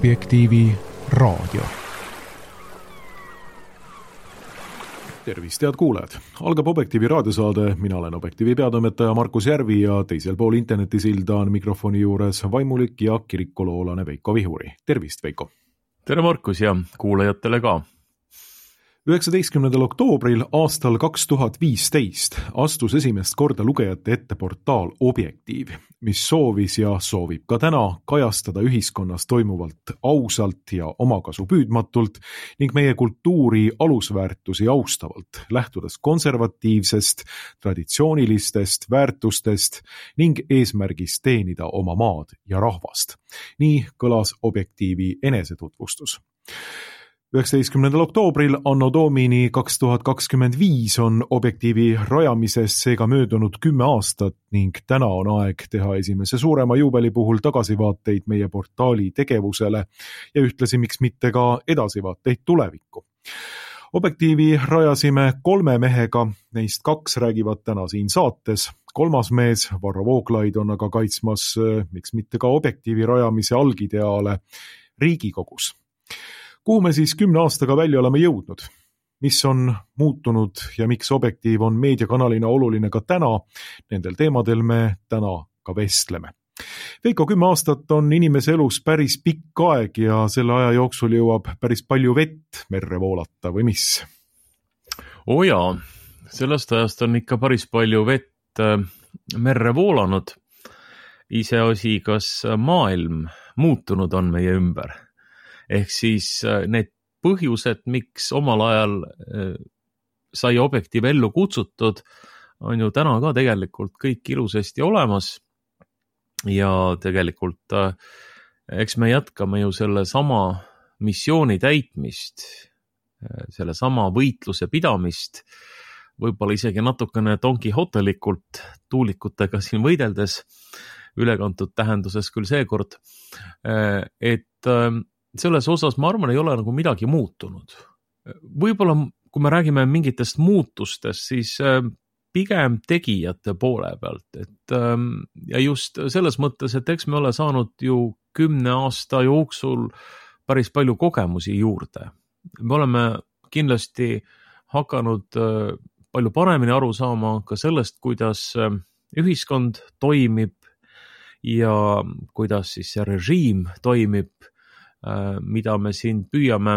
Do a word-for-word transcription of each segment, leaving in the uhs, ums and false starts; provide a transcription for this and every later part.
Objektiivi raadio. Tervist, head kuulajad! Algab Objektiivi raadiosaade, mina olen Objektiivi peatoimetaja Markus Järvi ja teisel pool internetisilda on mikrofoni juures vaimulik ja kirikoloolane Veiko Vihuri. Tervist, Veiko! Tere, Markus, ja kuulajatele ka! üheksateistkümnendal oktoobril aastal kaks tuhat viisteist astus esimest korda lugejate ette portaal Objektiiv, mis soovis ja soovib ka täna kajastada ühiskonnas toimuvalt ausalt ja omakasu püüdmatult ning meie kultuuri alusväärtusi austavalt, lähtudes konservatiivsest, traditsioonilistest väärtustest ning eesmärgist teenida oma maad ja rahvast. Nii kõlas Objektiivi enesetutvustus. üheksateistkümnendal oktoobril anno domini kaks tuhat kakskümmend viis on Objektiivi rajamisest seega möödunud kümme aastat ning täna on aeg teha esimese suurema juubeli puhul tagasivaateid meie portaali tegevusele ja ühtlasi miks mitte ka edasivaateid tulevikku. Objektiivi rajasime kolme mehega, neist kaks räägivad täna siin saates. Kolmas mees, Varro Vooglaid, on aga kaitsmas miks mitte ka Objektiivi rajamise algideaale Riigikogus. Kuhu me siis kümne aastaga välja oleme jõudnud? Mis on muutunud ja miks Objektiiv on meediakanalina oluline ka täna? Nendel teemadel me täna ka vestleme. Veiko, kümme aastat on inimese elus päris pikk aeg ja selle aja jooksul jõuab päris palju vett merre voolata või mis? Oo jaa, sellest ajast on ikka päris palju vett merre voolanud. Iseasi, kas maailm muutunud on meie ümber. Ehk siis need põhjused, miks omal ajal sai Objektiiv ellu kutsutud, on ju täna ka tegelikult kõik ilusasti olemas. Ja tegelikult eks me jätkame ju selle sama missiooni täitmist, selle sama võitluse pidamist, võib-olla isegi natukene donkihotelikult tuulikutega siin võideldes, ülekantud tähenduses küll seekord, et selles osas ma arvan, ei ole nagu midagi muutunud. Võib-olla, kui me räägime mingitest muutustest, siis pigem tegijate poole pealt. Et, ja just selles mõttes, et eks me ole saanud ju kümne aasta jooksul päris palju kogemusi juurde. Me oleme kindlasti hakanud palju paremini aru saama ka sellest, kuidas ühiskond toimib ja kuidas siis see režiim toimib, mida me siin püüame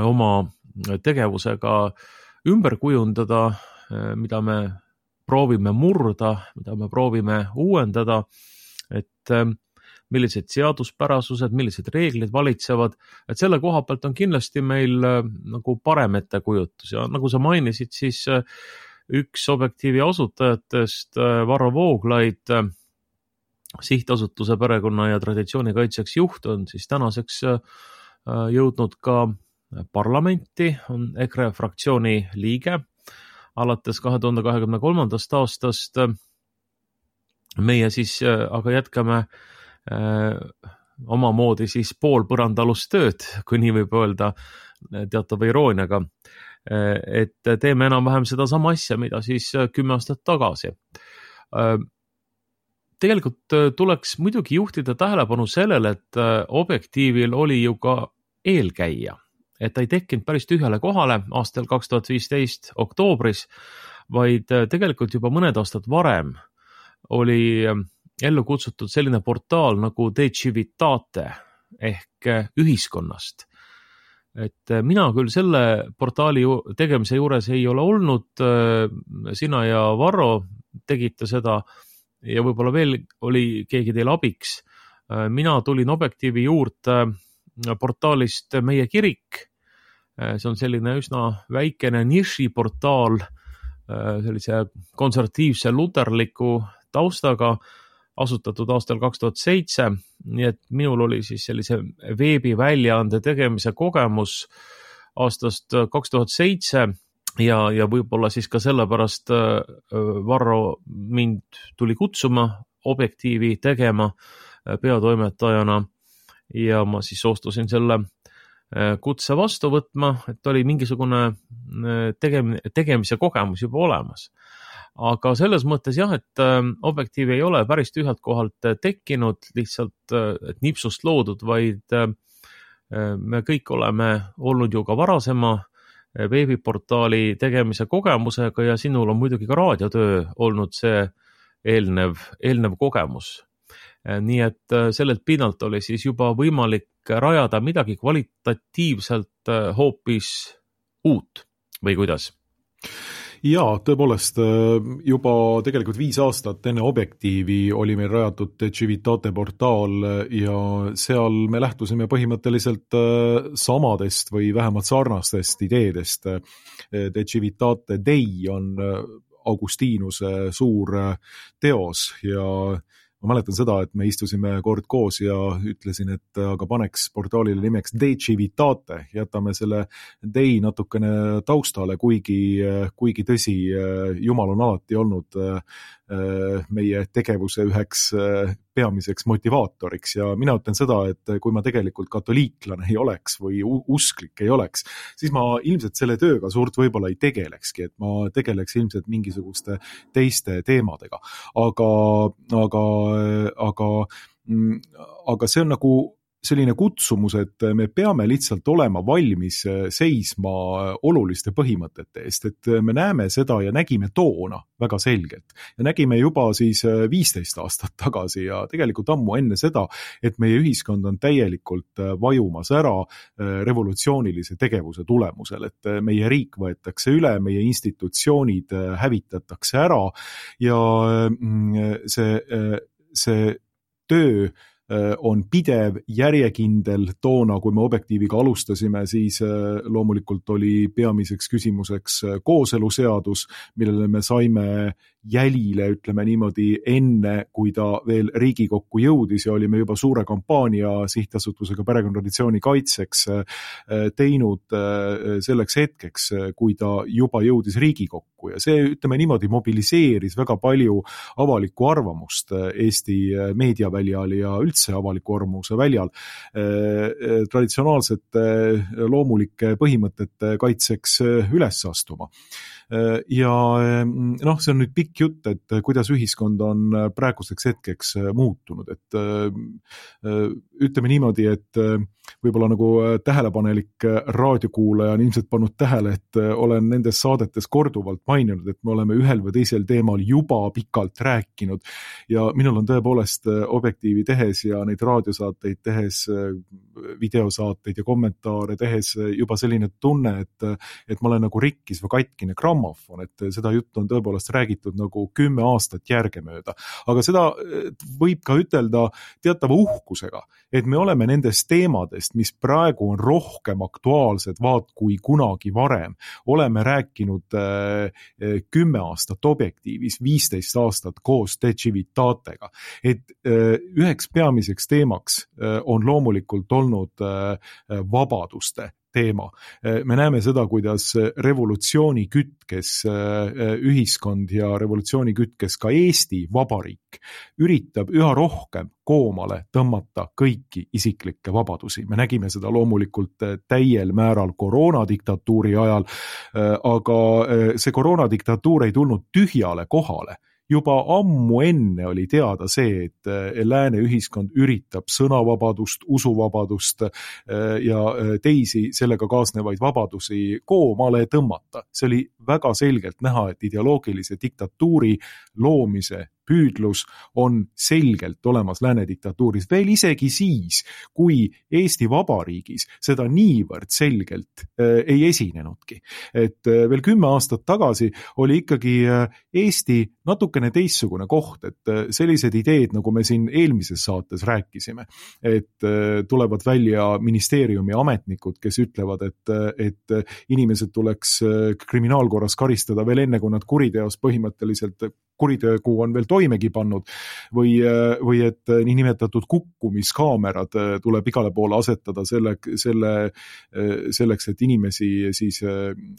oma tegevusega ümber kujundada, mida me proovime murda, mida me proovime uuendada, et millised seaduspärasused, millised reeglid valitsevad, et selle koha pealt on kindlasti meil nagu parem ettekujutus ja nagu sa mainisid, siis üks Objektiivi asutajatest, Varro Vooglaid, sihtasutuse perekonna ja traditsiooni kaitseks juht on siis tänaseks jõudnud ka parlamenti, on EKRE fraktsiooni liige. Alates kahe tuhande kahekümne kolmandast aastast meie siis aga jätkame omamoodi siis pool põrandalust tööd, kui nii võib öelda teatava irooniaga, et teeme enam-vähem seda sama asja, mida siis kümme aastat tagasi. Tegelikult tuleks muidugi juhtida tähelepanu sellele, et Objektiivil oli ju ka eelkäija, et ta ei tekkinud päris tühjale kohale aastal kaks tuhat viisteist oktoobris, vaid tegelikult juba mõned aastad varem oli ellu kutsutud selline portaal nagu De Civitate ehk ühiskonnast. Et mina küll selle portaali tegemise juures ei ole olnud, sina ja Varro tegite seda, ja võib-olla veel oli keegi teil abiks. Mina tulin Objektiivi juurde portaalist Meie kirik. See on selline üsna väikene nišiportaal, sellise konservatiivse luterliku taustaga, asutatud aastal kaks tuhat seitse, nii et minul oli siis sellise veebiväljaande tegemise kogemus aastast kaks tuhat seitse, Ja, ja võib-olla siis ka sellepärast Varro mind tuli kutsuma Objektiivi tegema peatoimetajana ja ma siis soostusin selle kutse vastu võtma, et oli mingisugune tegem- tegemise kogemus juba olemas. Aga selles mõttes jah, et Objektiiv ei ole päris tühjalt kohalt tekkinud, lihtsalt et nipsust loodud, vaid me kõik oleme olnud ju ka varasema veebiportaali tegemise kogemusega ja sinul on muidugi ka raadiotöö olnud see eelnev, eelnev kogemus. Nii et sellelt pinnalt oli siis juba võimalik rajada midagi kvalitatiivselt hoopis uut või kuidas? Jaa, tõepoolest juba tegelikult viis aastat enne Objektiivi oli meil rajatud Civitate portaal ja seal me lähtusime põhimõtteliselt samadest või vähemalt sarnastest ideedest. Civitate Dei on Augustinuse suur teos ja ma mäletan seda, et me istusime kord koos ja ütlesin, et aga paneks portaalile nimeks De Civitate, jätame selle Dei natukene taustale, kuigi, kuigi tõsi, Jumal on alati olnud meie tegevuse üheks peamiseks motivaatoriks ja mina ütlen seda, et kui ma tegelikult katoliiklane ei oleks või usklik ei oleks, siis ma ilmselt selle tööga suurt võib-olla ei tegelekski, et ma tegeleks ilmselt mingisuguste teiste teemadega. Aga, aga, aga, aga see on nagu selline kutsumus, et me peame lihtsalt olema valmis seisma oluliste põhimõtete eest, et me näeme seda ja nägime toona väga selgelt. Ja nägime juba siis viisteist aastat tagasi ja tegelikult ammu enne seda, et meie ühiskond on täielikult vajumas ära revolutsioonilise tegevuse tulemusel, et meie riik võetakse üle, meie institutsioonid hävitatakse ära ja see, see töö on pidev, järjekindel. Toona, kui me Objektiiviga alustasime, siis loomulikult oli peamiseks küsimuseks kooseluseadus, millele me saime jälile, ütleme niimoodi, enne, kui ta veel Riigikokku jõudis ja olime juba suure kampaania sihtasutusega perekonnatraditsiooni kaitseks teinud selleks hetkeks, kui ta juba jõudis Riigikokku ja see, ütleme niimoodi, mobiliseeris väga palju avalikku arvamust Eesti meediaväljal ja üldse avaliku arvamuse väljal traditsionaalsete loomulike põhimõtete kaitseks üles astuma. Ja noh, see on nüüd pikk jutt, et kuidas ühiskond on praeguseks hetkeks muutunud, et ütleme niimoodi, et võib-olla nagu tähelepanelik raadiokuulaja on ilmselt pannud tähele, et olen nendes saadetes korduvalt maininud, et me oleme ühel või teisel teemal juba pikalt rääkinud ja minul on tõepoolest Objektiivi tehes ja neid raadiosaateid tehes, videosaateid ja kommentaare tehes juba selline tunne, et, et ma olen nagu rikkis või katkine grammofon, et seda juttu on tõepoolest räägitud nagu kümme aastat järgemööda. Aga seda võib ka ütelda teatava uhkusega, et me oleme nendes teemadest, mis praegu on rohkem aktuaalsed vaat kui kunagi varem. Oleme rääkinud kümme aastat Objektiivis, viisteist aastat koos De Civitatega. Et üheks peamiseks teemaks on loomulikult olnud vabaduste teema. Me näeme seda, kuidas revolutsiooni kütkes ühiskond ja revolutsiooni kütkes ka Eesti Vabariik üritab üha rohkem koomale tõmmata kõiki isiklikke vabadusi. Me nägime seda loomulikult täiel määral koroonadiktatuuri ajal, aga see koroonadiktatuur ei tulnud tühjale kohale. Juba ammu enne oli teada see, et lääne ühiskond üritab sõnavabadust, usuvabadust ja teisi sellega kaasnevaid vabadusi koomale tõmmata. See oli väga selgelt näha, et ideoloogilise diktatuuri loomise püüdlus on selgelt olemas lääne diktatuuris, veel isegi siis, kui Eesti Vabariigis seda niivõrd selgelt äh, ei esinenudki. Et äh, veel kümme aastat tagasi oli ikkagi äh, Eesti natukene teistsugune koht, et äh, sellised ideed, nagu me siin eelmises saates rääkisime, et äh, tulevad välja ministeeriumi ametnikud, kes ütlevad, et, et inimesed tuleks äh, kriminaalkorras karistada veel enne, kui nad kuriteos põhimõtteliselt kuritöögu on veel toimegi pannud või, või et niinimetatud kukkumiskaamerad tuleb igale poole asetada selle, selle, selleks, et inimesi siis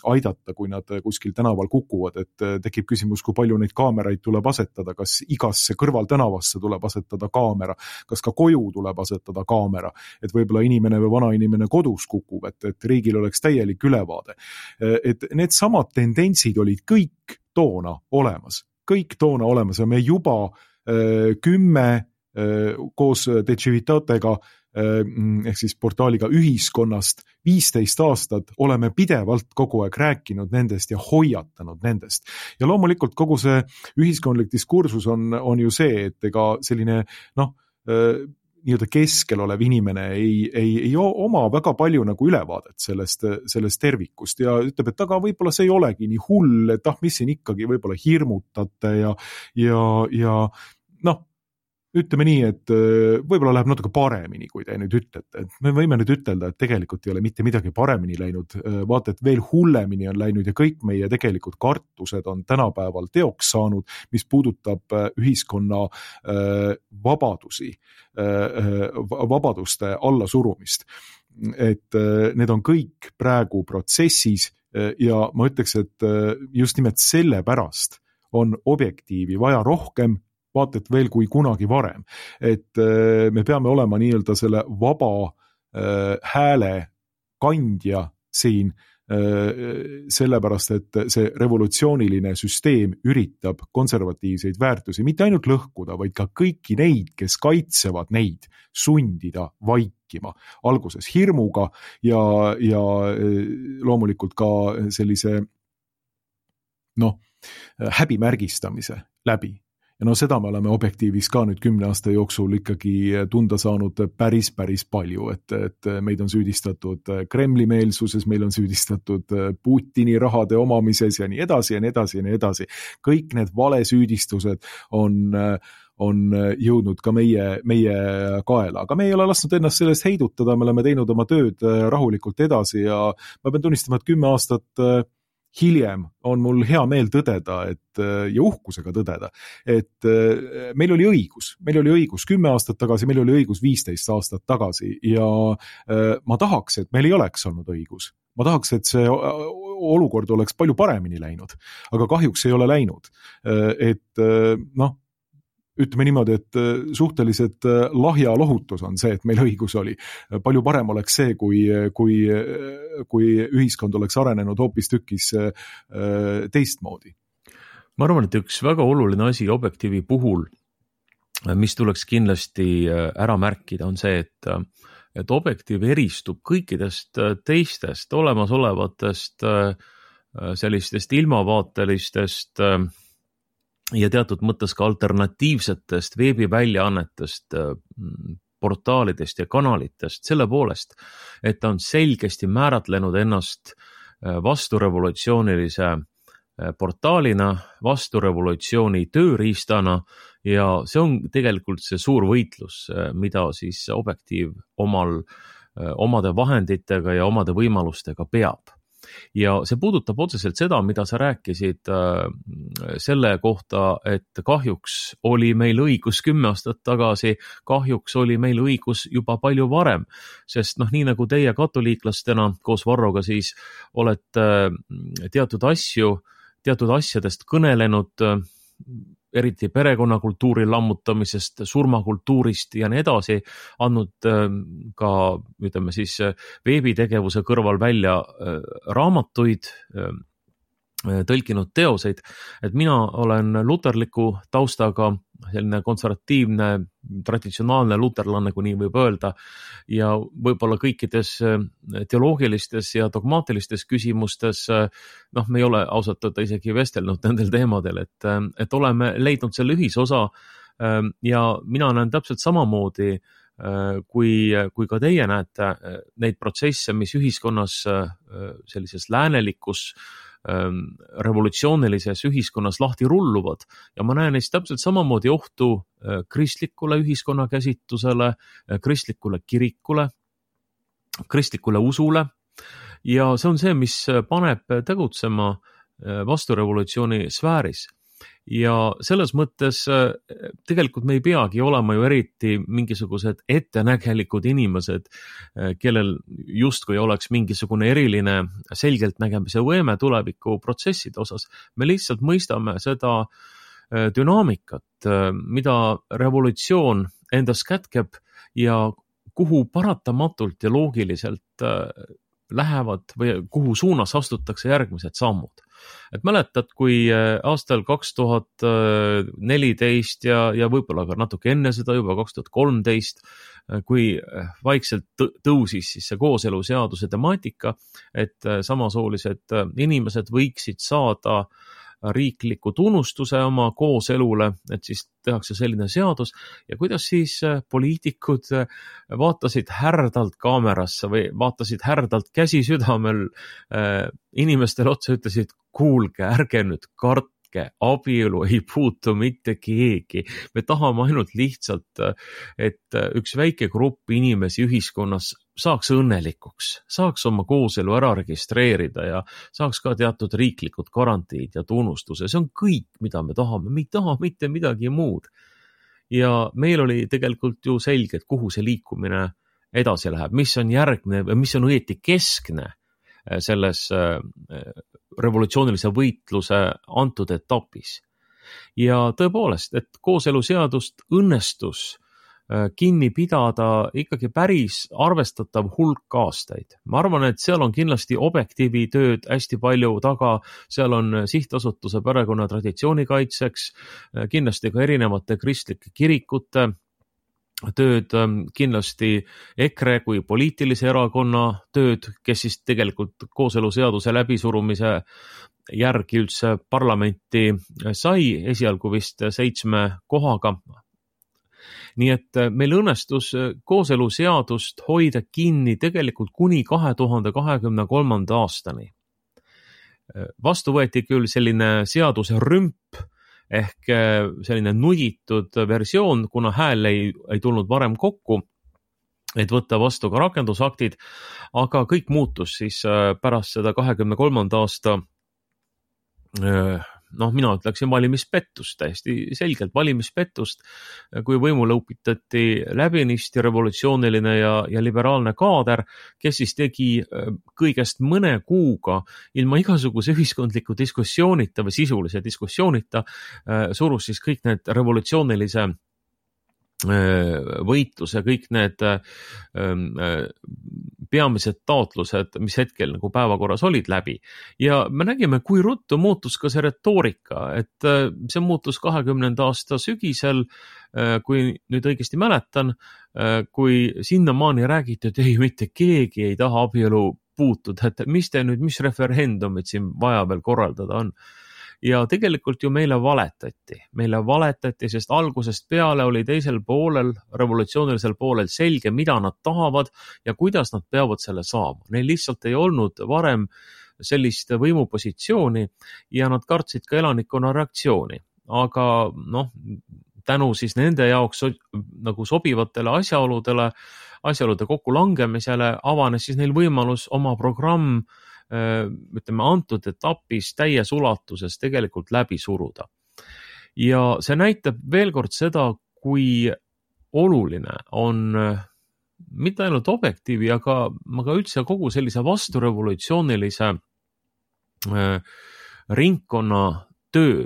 aidata, kui nad kuskil tänaval kukuvad, et tekib küsimus, kui palju neid kaameraid tuleb asetada, kas igasse kõrvaltänavasse tuleb asetada kaamera, kas ka koju tuleb asetada kaamera, et võib-olla inimene või vana inimene kodus kukub, et, et riigil oleks täielik ülevaade. Et need samad tendentsid olid kõik toona olemas. kõik toona olemas ja me juba äh, kümme äh, koos De Civitatega ehk siis portaaliga ühiskonnast viisteist aastat oleme pidevalt kogu aeg rääkinud nendest ja hoiatanud nendest. Ja loomulikult kogu see ühiskondlik diskursus on, on ju see, et ega selline noh, nii-öelda keskel olev inimene ei, ei, ei oma väga palju nagu ülevaadet sellest, sellest tervikust ja ütleb, et aga võib-olla see ei olegi nii hull, et ah, mis siin ikkagi võib-olla hirmutate ja, ja, ja noh, ütleme nii, et võib-olla läheb natuke paremini, kui te nüüd ütlete. Et me võime nüüd ütelda, et tegelikult ei ole mitte midagi paremini läinud, vaata, et veel hullemini on läinud ja kõik meie tegelikult kartused on tänapäeval teoks saanud, mis puudutab ühiskonna vabadusi, vabaduste allasurumist. Et need on kõik praegu protsessis ja ma ütleks, et just nimelt selle pärast on objektiivi vaja rohkem, vaata, et veel kui kunagi varem. Et me peame olema nii-öelda selle vaba hääle kandja siin, sellepärast, et see revolutsiooniline süsteem üritab konservatiivseid väärtusi mitte ainult lõhkuda, vaid ka kõiki neid, kes kaitsevad neid, sundida vaikima. Alguses hirmuga ja, ja loomulikult ka sellise noh, häbimärgistamise läbi. Ja no seda me oleme objektiivis ka nüüd kümne aasta jooksul ikkagi tunda saanud päris, päris palju, et, et meid on süüdistatud Kremli meelsuses, meil on süüdistatud Putini rahade omamises ja nii edasi ja nii edasi ja nii edasi. Kõik need valesüüdistused on, on jõudnud ka meie, meie kaela, aga me ei ole lasknud ennast sellest heidutada, me oleme teinud oma tööd rahulikult edasi ja ma pean tunnistama, et kümme aastat hiljem on mul hea meel tõdeda, et, ja uhkusega tõdeda, et meil oli õigus, meil oli õigus kümme aastat tagasi, meil oli õigus viisteist aastat tagasi ja ma tahaks, et meil ei oleks olnud õigus. Ma tahaks, et see olukord oleks palju paremini läinud, aga kahjuks ei ole läinud. Et noh, ütleme niimoodi, et suhteliselt lahja lohutus on see, et meil õigus oli. Palju parem oleks see, kui, kui, kui ühiskond oleks arenenud hoopis tükis teistmoodi. Ma arvan, et üks väga oluline asi objektiivi puhul, mis tuleks kindlasti ära märkida, on see, et, et objektiiv eristub kõikidest teistest olemasolevatest sellistest ilmavaatelistest ja teatud mõttes ka alternatiivsetest veebiväljaannetest, portaalidest ja kanalitest selle poolest, et ta on selgesti määratlenud ennast vasturevolutsioonilise portaalina, vasturevolutsiooni tööriistana ja see on tegelikult see suur võitlus, mida siis objektiiv omal, omade vahenditega ja omade võimalustega peab. Ja see puudutab otseselt seda, mida sa rääkisid selle kohta, et kahjuks oli meil õigus kümme aastat tagasi, kahjuks oli meil õigus juba palju varem, sest noh, nii nagu teie katoliiklastena koos Varroga siis olete teatud asju, teatud asjadest kõnelenud, eriti perekonnakultuuri lammutamisest, surmakultuurist ja nii edasi, andnud ka, ütleme siis, veebitegevuse kõrval välja raamatuid, tõlkinud teoseid, et mina olen luterliku taustaga, selline konservatiivne, traditsionaalne luterlanne, kui nii võib öelda, ja võib-olla kõikides teoloogilistes ja dogmaatilistes küsimustes, noh, me ei ole ausalt öelda isegi vestelnud nendel teemadel, et, et oleme leidnud selle ühisosa ja mina näen täpselt samamoodi, kui, kui ka teie näete neid protsesse, mis ühiskonnas sellises läänelikus revolutsioonilises ühiskonnas lahti rulluvad ja ma näen neist täpselt samamoodi ohtu kristlikule ühiskonna käsitusele, kristlikule kirikule, kristlikule usule ja see on see, mis paneb tegutsema vasturevolutsiooni sfääris. Ja selles mõttes tegelikult me ei peagi olema ju eriti mingisugused ettenägelikud inimesed, kellel justkui oleks mingisugune eriline selgelt nägemise võime tuleviku protsesside osas. Me lihtsalt mõistame seda dünaamikat, mida revolutsioon endas kätkeb ja kuhu paratamatult ja loogiliselt lähevad või kuhu suunas astutakse järgmised sammud. et mäletad, kui aastal kaks tuhat neliteist ja, ja võib-olla ka natuke enne seda juba kaks tuhat kolmteist, kui vaikselt tõusis siis see kooseluseaduse temaatika, et samasoolised inimesed võiksid saada riikliku tunnustuse oma kooselule, et siis tehakse selline seadus ja kuidas siis poliitikud vaatasid härdalt kaamerasse või vaatasid härdalt käsi südamel inimestele otsa, ütlesid, kuulge, ärge nüüd kartke, abielu ei puutu mitte keegi. Me tahame ainult lihtsalt, et üks väike grupp inimesi ühiskonnas saaks õnnelikuks, saaks oma kooselu ära registreerida ja saaks ka teatud riiklikud garantiid ja tunnustuse. See on kõik, mida me tahame. Me ei taha mitte midagi muud. Ja meil oli tegelikult ju selge, et kuhu see liikumine edasi läheb, mis on järgne või mis on õieti keskne selles revolutsioonilise võitluse antud etapis. Ja tõepoolest, et kooseluseadust õnnestus kinni pidada ikkagi päris arvestatav hulk aastaid. Ma arvan, et seal on kindlasti objektiivi tööd hästi palju taga, seal on sihtasutuse perekonna traditsioonikaitseks, kindlasti ka erinevate kristlike kirikute tööd, kindlasti EKRE kui poliitilise erakonna tööd, kes siis tegelikult kooseluseaduse läbisurumise järgi üldse parlamenti sai, esialgu vist seitsme kohaga. Nii et meil õnnestus kooseluseadust hoida kinni tegelikult kuni kahe tuhande kahekümne kolmanda aastani. Vastu võeti küll selline seaduse rümp ehk selline nuditud versioon, kuna hääl ei, ei tulnud varem kokku, et võtta vastu ka rakendusaktid, aga kõik muutus siis pärast seda kahekümne kolmanda aasta noh, mina ütleksin valimispettust, täiesti selgelt valimispettust, kui võimule upitati läbinisti revolutsiooniline ja, ja liberaalne kaader, kes siis tegi kõigest mõne kuuga ilma igasuguse ühiskondliku diskussioonita või sisulise diskussioonita, surus siis kõik need revolutsioonilise võitluse, kõik need peamised taotlused, mis hetkel nagu päevakorras olid läbi. Ja me nägime, kui ruttu muutus ka see retoorika, et see muutus kahekümnenda aasta sügisel, kui nüüd õigesti mäletan, kui sinnamaani räägiti, et ei, mitte keegi ei taha abielu puutuda, et mis te nüüd, mis referendumid siin vaja veel korraldada on. Ja tegelikult ju meile valetati. Meile valetati, sest algusest peale oli teisel poolel, revolutsioonilisel poolel selge, mida nad tahavad ja kuidas nad peavad selle saama. Neil lihtsalt ei olnud varem sellist võimupositsiooni ja nad kartsid ka elanikkonna reaktsiooni. Aga noh, tänu siis nende jaoks nagu sobivatele asjaoludele, asjaolude kokkulangemisele avanes siis neil võimalus oma programm ütleme, antud etapis täies ulatuses tegelikult läbi suruda. Ja see näitab veel kord seda, kui oluline on mitte ainult objektiivi, aga, aga üldse kogu sellise vasturevolutsioonilise ringkonna töö.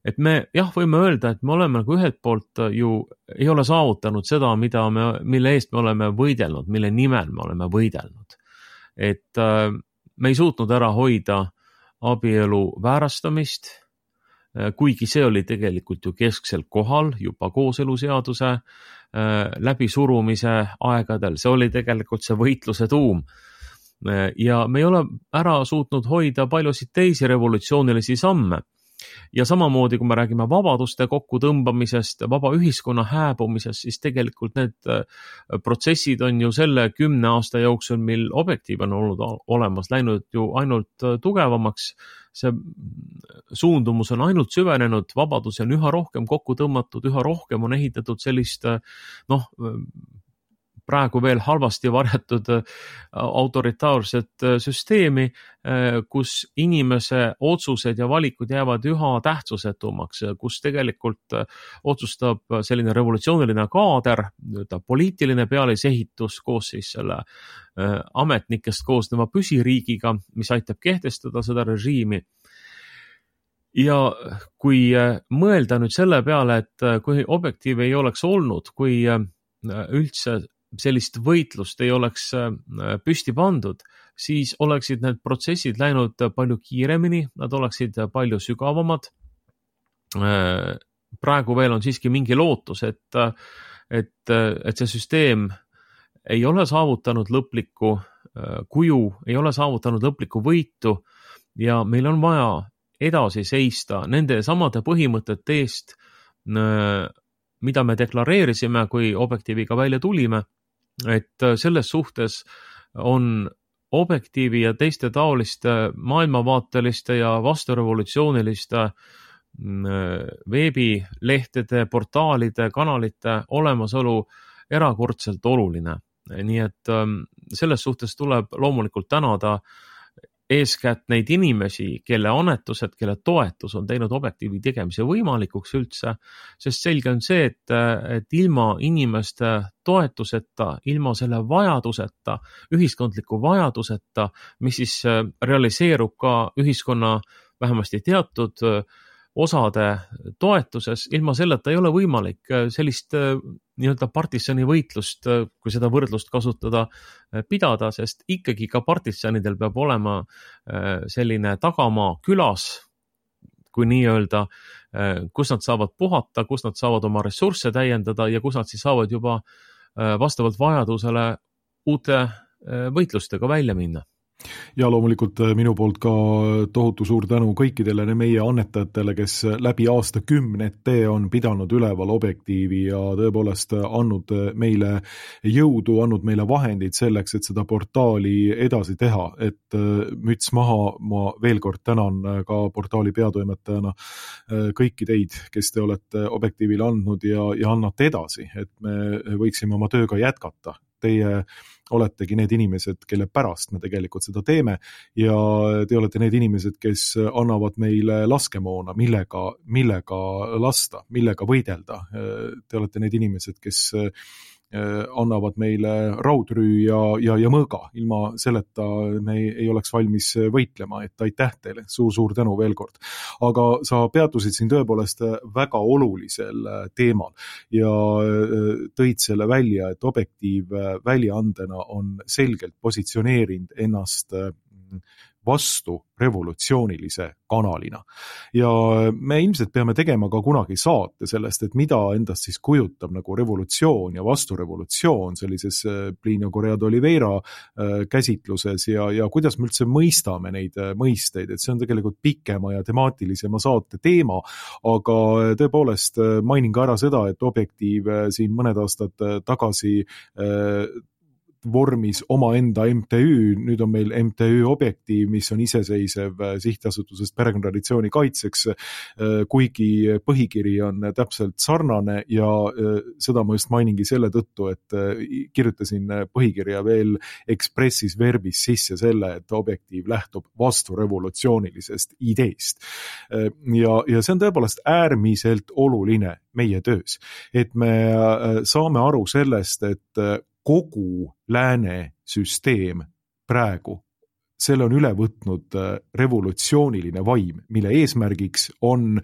Et me jah, võime öelda, et me oleme nagu ühelt poolt ju ei ole saavutanud seda, mida me, mille eest me oleme võidelnud, mille nimel me oleme võidelnud. Et me ei suutnud ära hoida abielu väärastamist, kuigi see oli tegelikult ju kesksel kohal juba kooseluseaduse läbisurumise aegadel. See oli tegelikult see võitluse tuum. Ja me ei ole ära suutnud hoida paljusid teisi revolutsioonilisi samme. Ja samamoodi, kui me räägime vabaduste kokkutõmbamisest, vaba ühiskonna hääbumisest, siis tegelikult need protsessid on ju selle kümne aasta jooksul, mil objektiiv on olnud olemas, läinud ju ainult tugevamaks. See suundumus on ainult süvenenud, vabadusi on üha rohkem kokku tõmmatud, üha rohkem on ehitatud sellist, noh, praegu veel halvasti varjatud autoritaarset süsteemi, kus inimese otsused ja valikud jäävad üha tähtsusetumaks, kus tegelikult otsustab selline revolutsiooniline kaader, poliitiline pealisehitus koos siis selle ametnikest koosneva püsiriigiga, mis aitab kehtestada seda režiimi. Ja kui mõelda nüüd selle peale, et kui objektiiv ei oleks olnud, kui üldse sellist võitlust ei oleks püsti pandud, siis oleksid need protsessid läinud palju kiiremini, nad oleksid palju sügavamad. Praegu veel on siiski mingi lootus, et, et, et see süsteem ei ole saavutanud lõplikku kuju, ei ole saavutanud lõplikku võitu ja meil on vaja edasi seista nende samade põhimõtete eest, mida me deklareerisime, kui Objektiiviga välja tulime, et selles suhtes on Objektiivi ja teiste taoliste maailmavaateliste ja vasturevolutsiooniliste veebilehtede, portaalide, kanalite olemasolu erakordselt oluline. Nii et selles suhtes tuleb loomulikult tänada eeskätt neid inimesi, kelle annetused, kelle toetus on teinud Objektiivi tegemise võimalikuks üldse, sest selge on see, et, et ilma inimeste toetuseta, ilma selle vajaduseta, ühiskondliku vajaduseta, mis siis realiseerub ka ühiskonna vähemasti teatud osade toetuses, ilma selleta ei ole võimalik sellist nii-öelda partisani võitlust, kui seda võrdlust kasutada, pidada, sest ikkagi ka partisanidel peab olema selline tagamaa külas, kui nii-öelda, kus nad saavad puhata, kus nad saavad oma ressursse täiendada ja kus nad siis saavad juba vastavalt vajadusele uute võitlustega välja minna. Ja loomulikult minu poolt ka tohutu suur tänu kõikidele meie annetajatele, kes läbi aastakümnete on pidanud üleval Objektiivi ja tõepoolest andnud meile jõudu, andnud meile vahendid selleks, et seda portaali edasi teha. Et müts maha, ma veel kord tänan ka portaali peatoimetajana kõiki teid, kes te olete Objektiivile andnud ja, ja annate edasi, et me võiksime oma tööga jätkata. Teie oletegi need inimesed, kelle pärast me tegelikult seda teeme ja te olete need inimesed, kes annavad meile laskemoona, millega, millega lasta, millega võidelda. Te olete need inimesed, kes annavad meile raudrüü ja, ja, ja mõõga. Ilma selleta me ei, ei oleks valmis võitlema, et aitäh teile, suur-suur tänu veel kord. Aga sa peatusid siin tõepoolest väga olulisel teemal ja tõid selle välja, et Objektiiv väljaandena on selgelt positsioneerinud ennast vastu revolutsioonilise kanalina. Ja me ilmselt peame tegema ka kunagi saate sellest, et mida endast siis kujutab nagu revolutsioon ja vasturevolutsioon sellises Plinio Correa de Oliveira käsitluses ja, ja kuidas me üldse mõistame neid mõisteid, et see on tegelikult pikema ja temaatilisema saate teema, aga tõepoolest mainin ka ära seda, et Objektiiv siin mõned aastad tagasi vormis omaenda M T Ü, nüüd on meil M T Ü Objektiiv, mis on iseseisev sihtasutusest perekonnatraditsiooni kaitseks, kuigi põhikiri on täpselt sarnane ja seda ma just mainingi selle tõttu, et kirjutasin põhikirja veel expressis verbis sisse selle, et Objektiiv lähtub vasturevolutsioonilisest ideest. Ja, ja see on tõepoolest äärmiselt oluline meie töös, et me saame aru sellest, et kogu lääne süsteem praegu, selle on üle võtnud revolutsiooniline vaim, mille eesmärgiks on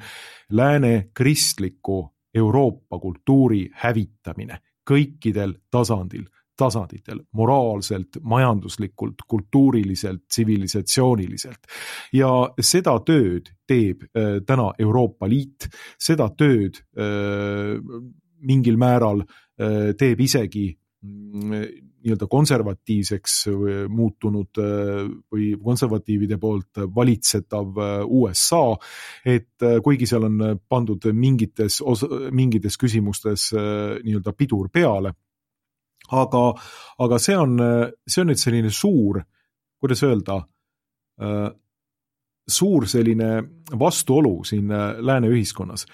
lääne kristliku Euroopa kultuuri hävitamine kõikidel tasandil, tasanditel, moraalselt, majanduslikult, kultuuriliselt, tsivilisatsiooniliselt. Ja seda tööd teeb täna Euroopa Liit, seda tööd mingil määral teeb isegi nii-öelda konservatiivseks muutunud või konservatiivide poolt valitsetav U S A, et kuigi seal on pandud mingites, mingites küsimustes nii-öelda pidur peale, aga, aga see on, see on nüüd selline suur, kuidas öelda, suur selline vastuolu siin lääne ühiskonnas,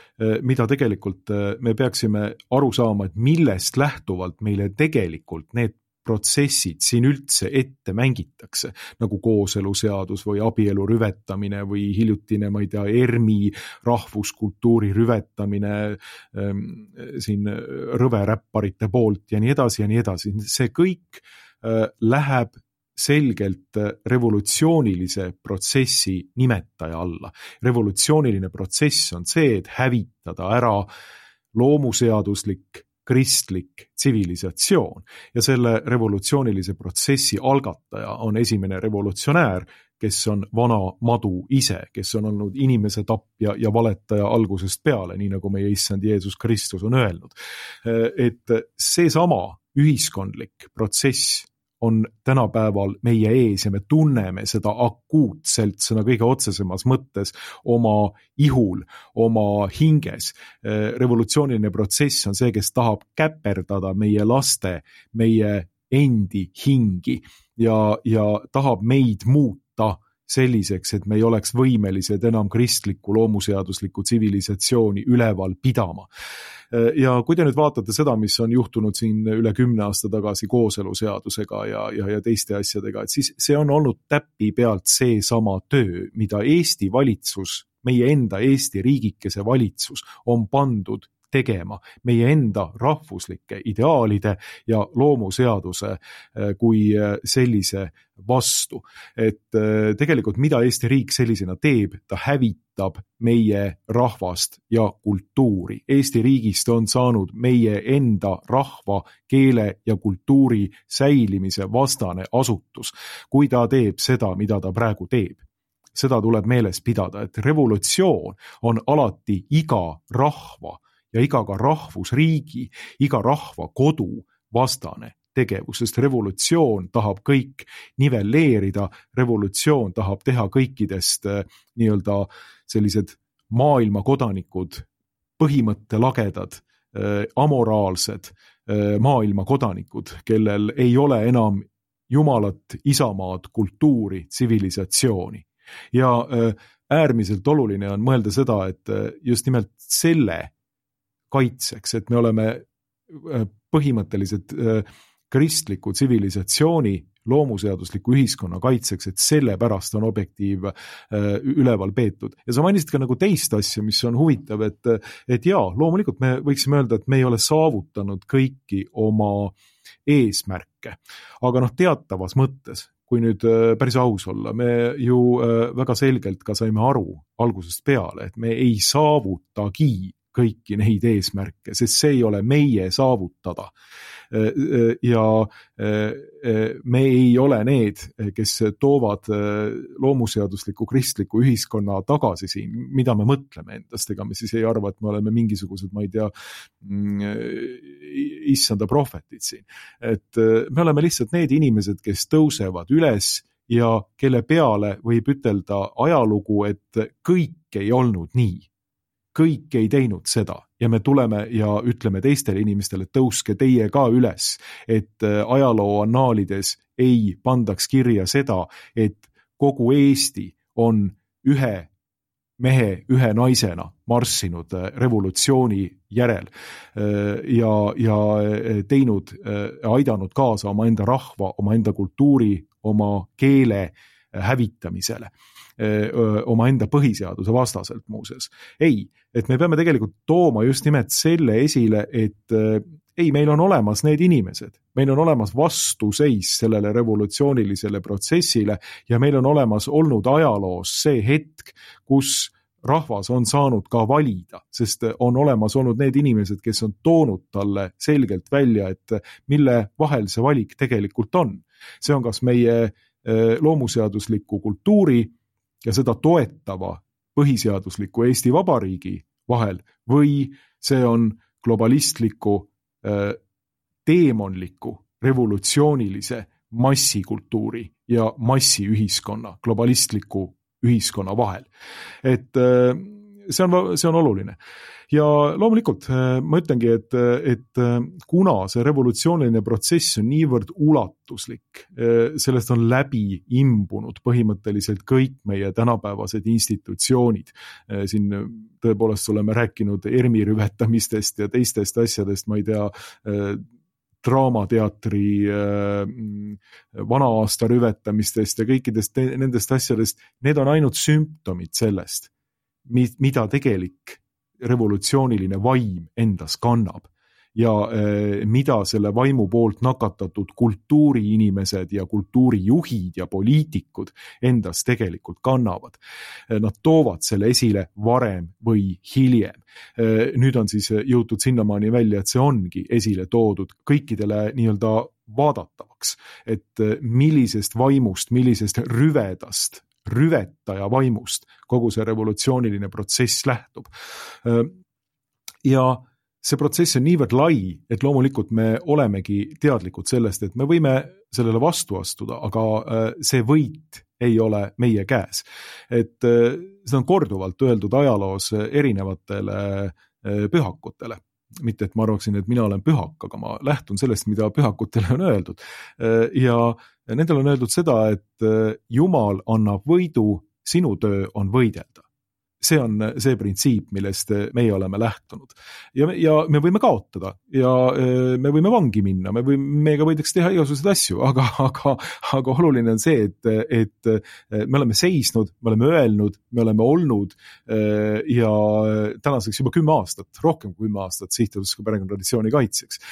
mida tegelikult me peaksime aru saama, et millest lähtuvalt meile tegelikult need protsessid siin üldse ette mängitakse, nagu kooseluseadus või abielu rüvetamine või hiljutine, ma ei tea, ERMi rahvuskultuuri rüvetamine ähm, siin rõveräpparite poolt ja nii edasi ja nii edasi. See kõik äh, läheb selgelt revolutsioonilise protsessi nimetaja alla. Revolutsiooniline protsess on see, et hävitada ära loomuseaduslik kristlik tsivilisatsioon ja selle revolutsioonilise protsessi algataja on esimene revolutsionäär, kes on vana madu ise, kes on olnud inimese tapja ja valetaja algusest peale, nii nagu meie issand Jeesus Kristus on öelnud. Et seesama ühiskondlik protsess on tänapäeval meie ees ja me tunneme seda akuutselt, sõna kõige otsesemas mõttes oma ihul, oma hinges. Revolutsiooniline protsess on see, kes tahab käperdada meie laste, meie endi hingi ja, ja tahab meid muuta selliseks, et me ei oleks võimelised enam kristlikku loomuseaduslikku tsivilisatsiooni üleval pidama. Ja kui te nüüd vaatate seda, mis on juhtunud siin üle kümne aasta tagasi kooseluseadusega ja, ja, ja teiste asjadega, et siis see on olnud täppi pealt see sama töö, mida Eesti valitsus, meie enda Eesti riigikese valitsus on pandud tegema meie enda rahvuslike ideaalide ja loomuseaduse kui sellise vastu. Et tegelikult mida Eesti riik sellisena teeb, ta hävitab meie rahvast ja kultuuri. Eesti riigist on saanud meie enda rahva, keele ja kultuuri säilimise vastane asutus, kui ta teeb seda, mida ta praegu teeb. Seda tuleb meeles pidada, et revolutsioon on alati iga rahva ja iga ka rahvusriigi, iga rahva kodu vastane tegevus, sest revolutsioon tahab kõik nivelleerida, revolutsioon tahab teha kõikidest nii-öelda sellised maailma kodanikud, põhimõttelagedad, amoraalsed maailma kodanikud, kellel ei ole enam jumalat, isamaad, kultuuri, tsivilisatsiooni. Ja äärmiselt oluline on mõelda seda, et just nimelt selle kaitseks, et me oleme põhimõtteliselt kristliku tsivilisatsiooni, loomuseadusliku ühiskonna kaitseks, et selle pärast on objektiiv üleval peetud. Ja sa mainisid ka nagu teist asja, mis on huvitav, et, et jaa, loomulikult me võiksime öelda, et me ei ole saavutanud kõiki oma eesmärke, aga noh, teatavas mõttes, kui nüüd päris aus olla, me ju väga selgelt ka saime aru algusest peale, et me ei saavutagi kõiki neid eesmärke, sest see ei ole meie saavutada. Ja me ei ole need, kes toovad loomuseadusliku kristliku ühiskonna tagasi siin, mida me mõtleme endast, ega me siis ei arva, et me oleme mingisugused, ma ei tea, issanda prohvetid siin. Et me oleme lihtsalt need inimesed, kes tõusevad üles ja kelle peale võib ütelda ajalugu, et kõik ei olnud nii. Kõik ei teinud seda ja me tuleme ja ütleme teistele inimestele, tõuske teie ka üles, et ajaloo annaalides ei pandaks kirja seda, et kogu Eesti on ühe mehe, ühe naisena marssinud revolutsiooni järel ja, ja teinud, aidanud kaasa oma enda rahva, oma enda kultuuri, oma keele hävitamisele. Oma enda põhiseaduse vastaselt muuses. Ei, et me peame tegelikult tooma just nimelt selle esile, et ei, meil on olemas need inimesed, meil on olemas vastuseis sellele revolutsioonilisele protsessile ja meil on olemas olnud ajaloos see hetk, kus rahvas on saanud ka valida, sest on olemas olnud need inimesed, kes on toonud talle selgelt välja, et mille vahel see valik tegelikult on. See on kas meie loomuseadusliku kultuuri ja seda toetava põhiseadusliku Eesti Vabariigi vahel või see on globalistliku, teemonliku, revolutsioonilise massikultuuri ja massiühiskonna, globalistliku ühiskonna vahel. Et see on, see on oluline. Ja loomulikult ma ütlengi, et, et kuna see revolutsiooniline protsess on niivõrd ulatuslik, sellest on läbi imbunud põhimõtteliselt kõik meie tänapäevased institutsioonid. Siin tõepoolest oleme rääkinud ERMi rüvetamistest ja teistest asjadest, ma ei tea, draamateatri vana-aasta rüvetamistest ja kõikidest nendest asjadest, need on ainult sümptomid sellest, mida tegelik revolutsiooniline vaim endas kannab. ja mida selle vaimu poolt nakatatud kultuuriinimesed ja kultuurijuhid ja poliitikud endas tegelikult kannavad. Nad toovad selle esile varem või hiljem. Nüüd on siis jõutud sinnamaani välja, et see ongi esile toodud kõikidele nii-öelda vaadatavaks, et millisest vaimust, millisest rüvedast, rüvetaja vaimust kogu see revolutsiooniline protsess lähtub. Ja see protsess on niivõrd lai, et loomulikult me olemegi teadlikud sellest, et me võime sellele vastu astuda, aga see võit ei ole meie käes. Et see on korduvalt öeldud ajaloos erinevatele pühakutele. Mitte, et ma arvaksin, et mina olen pühak, aga ma lähtun sellest, mida pühakutele on öeldud. Ja nendel on öeldud seda, et Jumal annab võidu, sinu töö on võidelda. See on see printsiip, millest meie oleme lähtunud. Ja, ja me võime kaotada ja me võime vangi minna, me võime, meiega võidaks teha igasuguseid asju, aga, aga, aga oluline on see, et, et me oleme seisnud, me oleme öelnud, me oleme olnud ja tänaseks juba kümme aastat, rohkem kui kümme aastat Sihtasutus perekonnatraditsiooni kaitseks.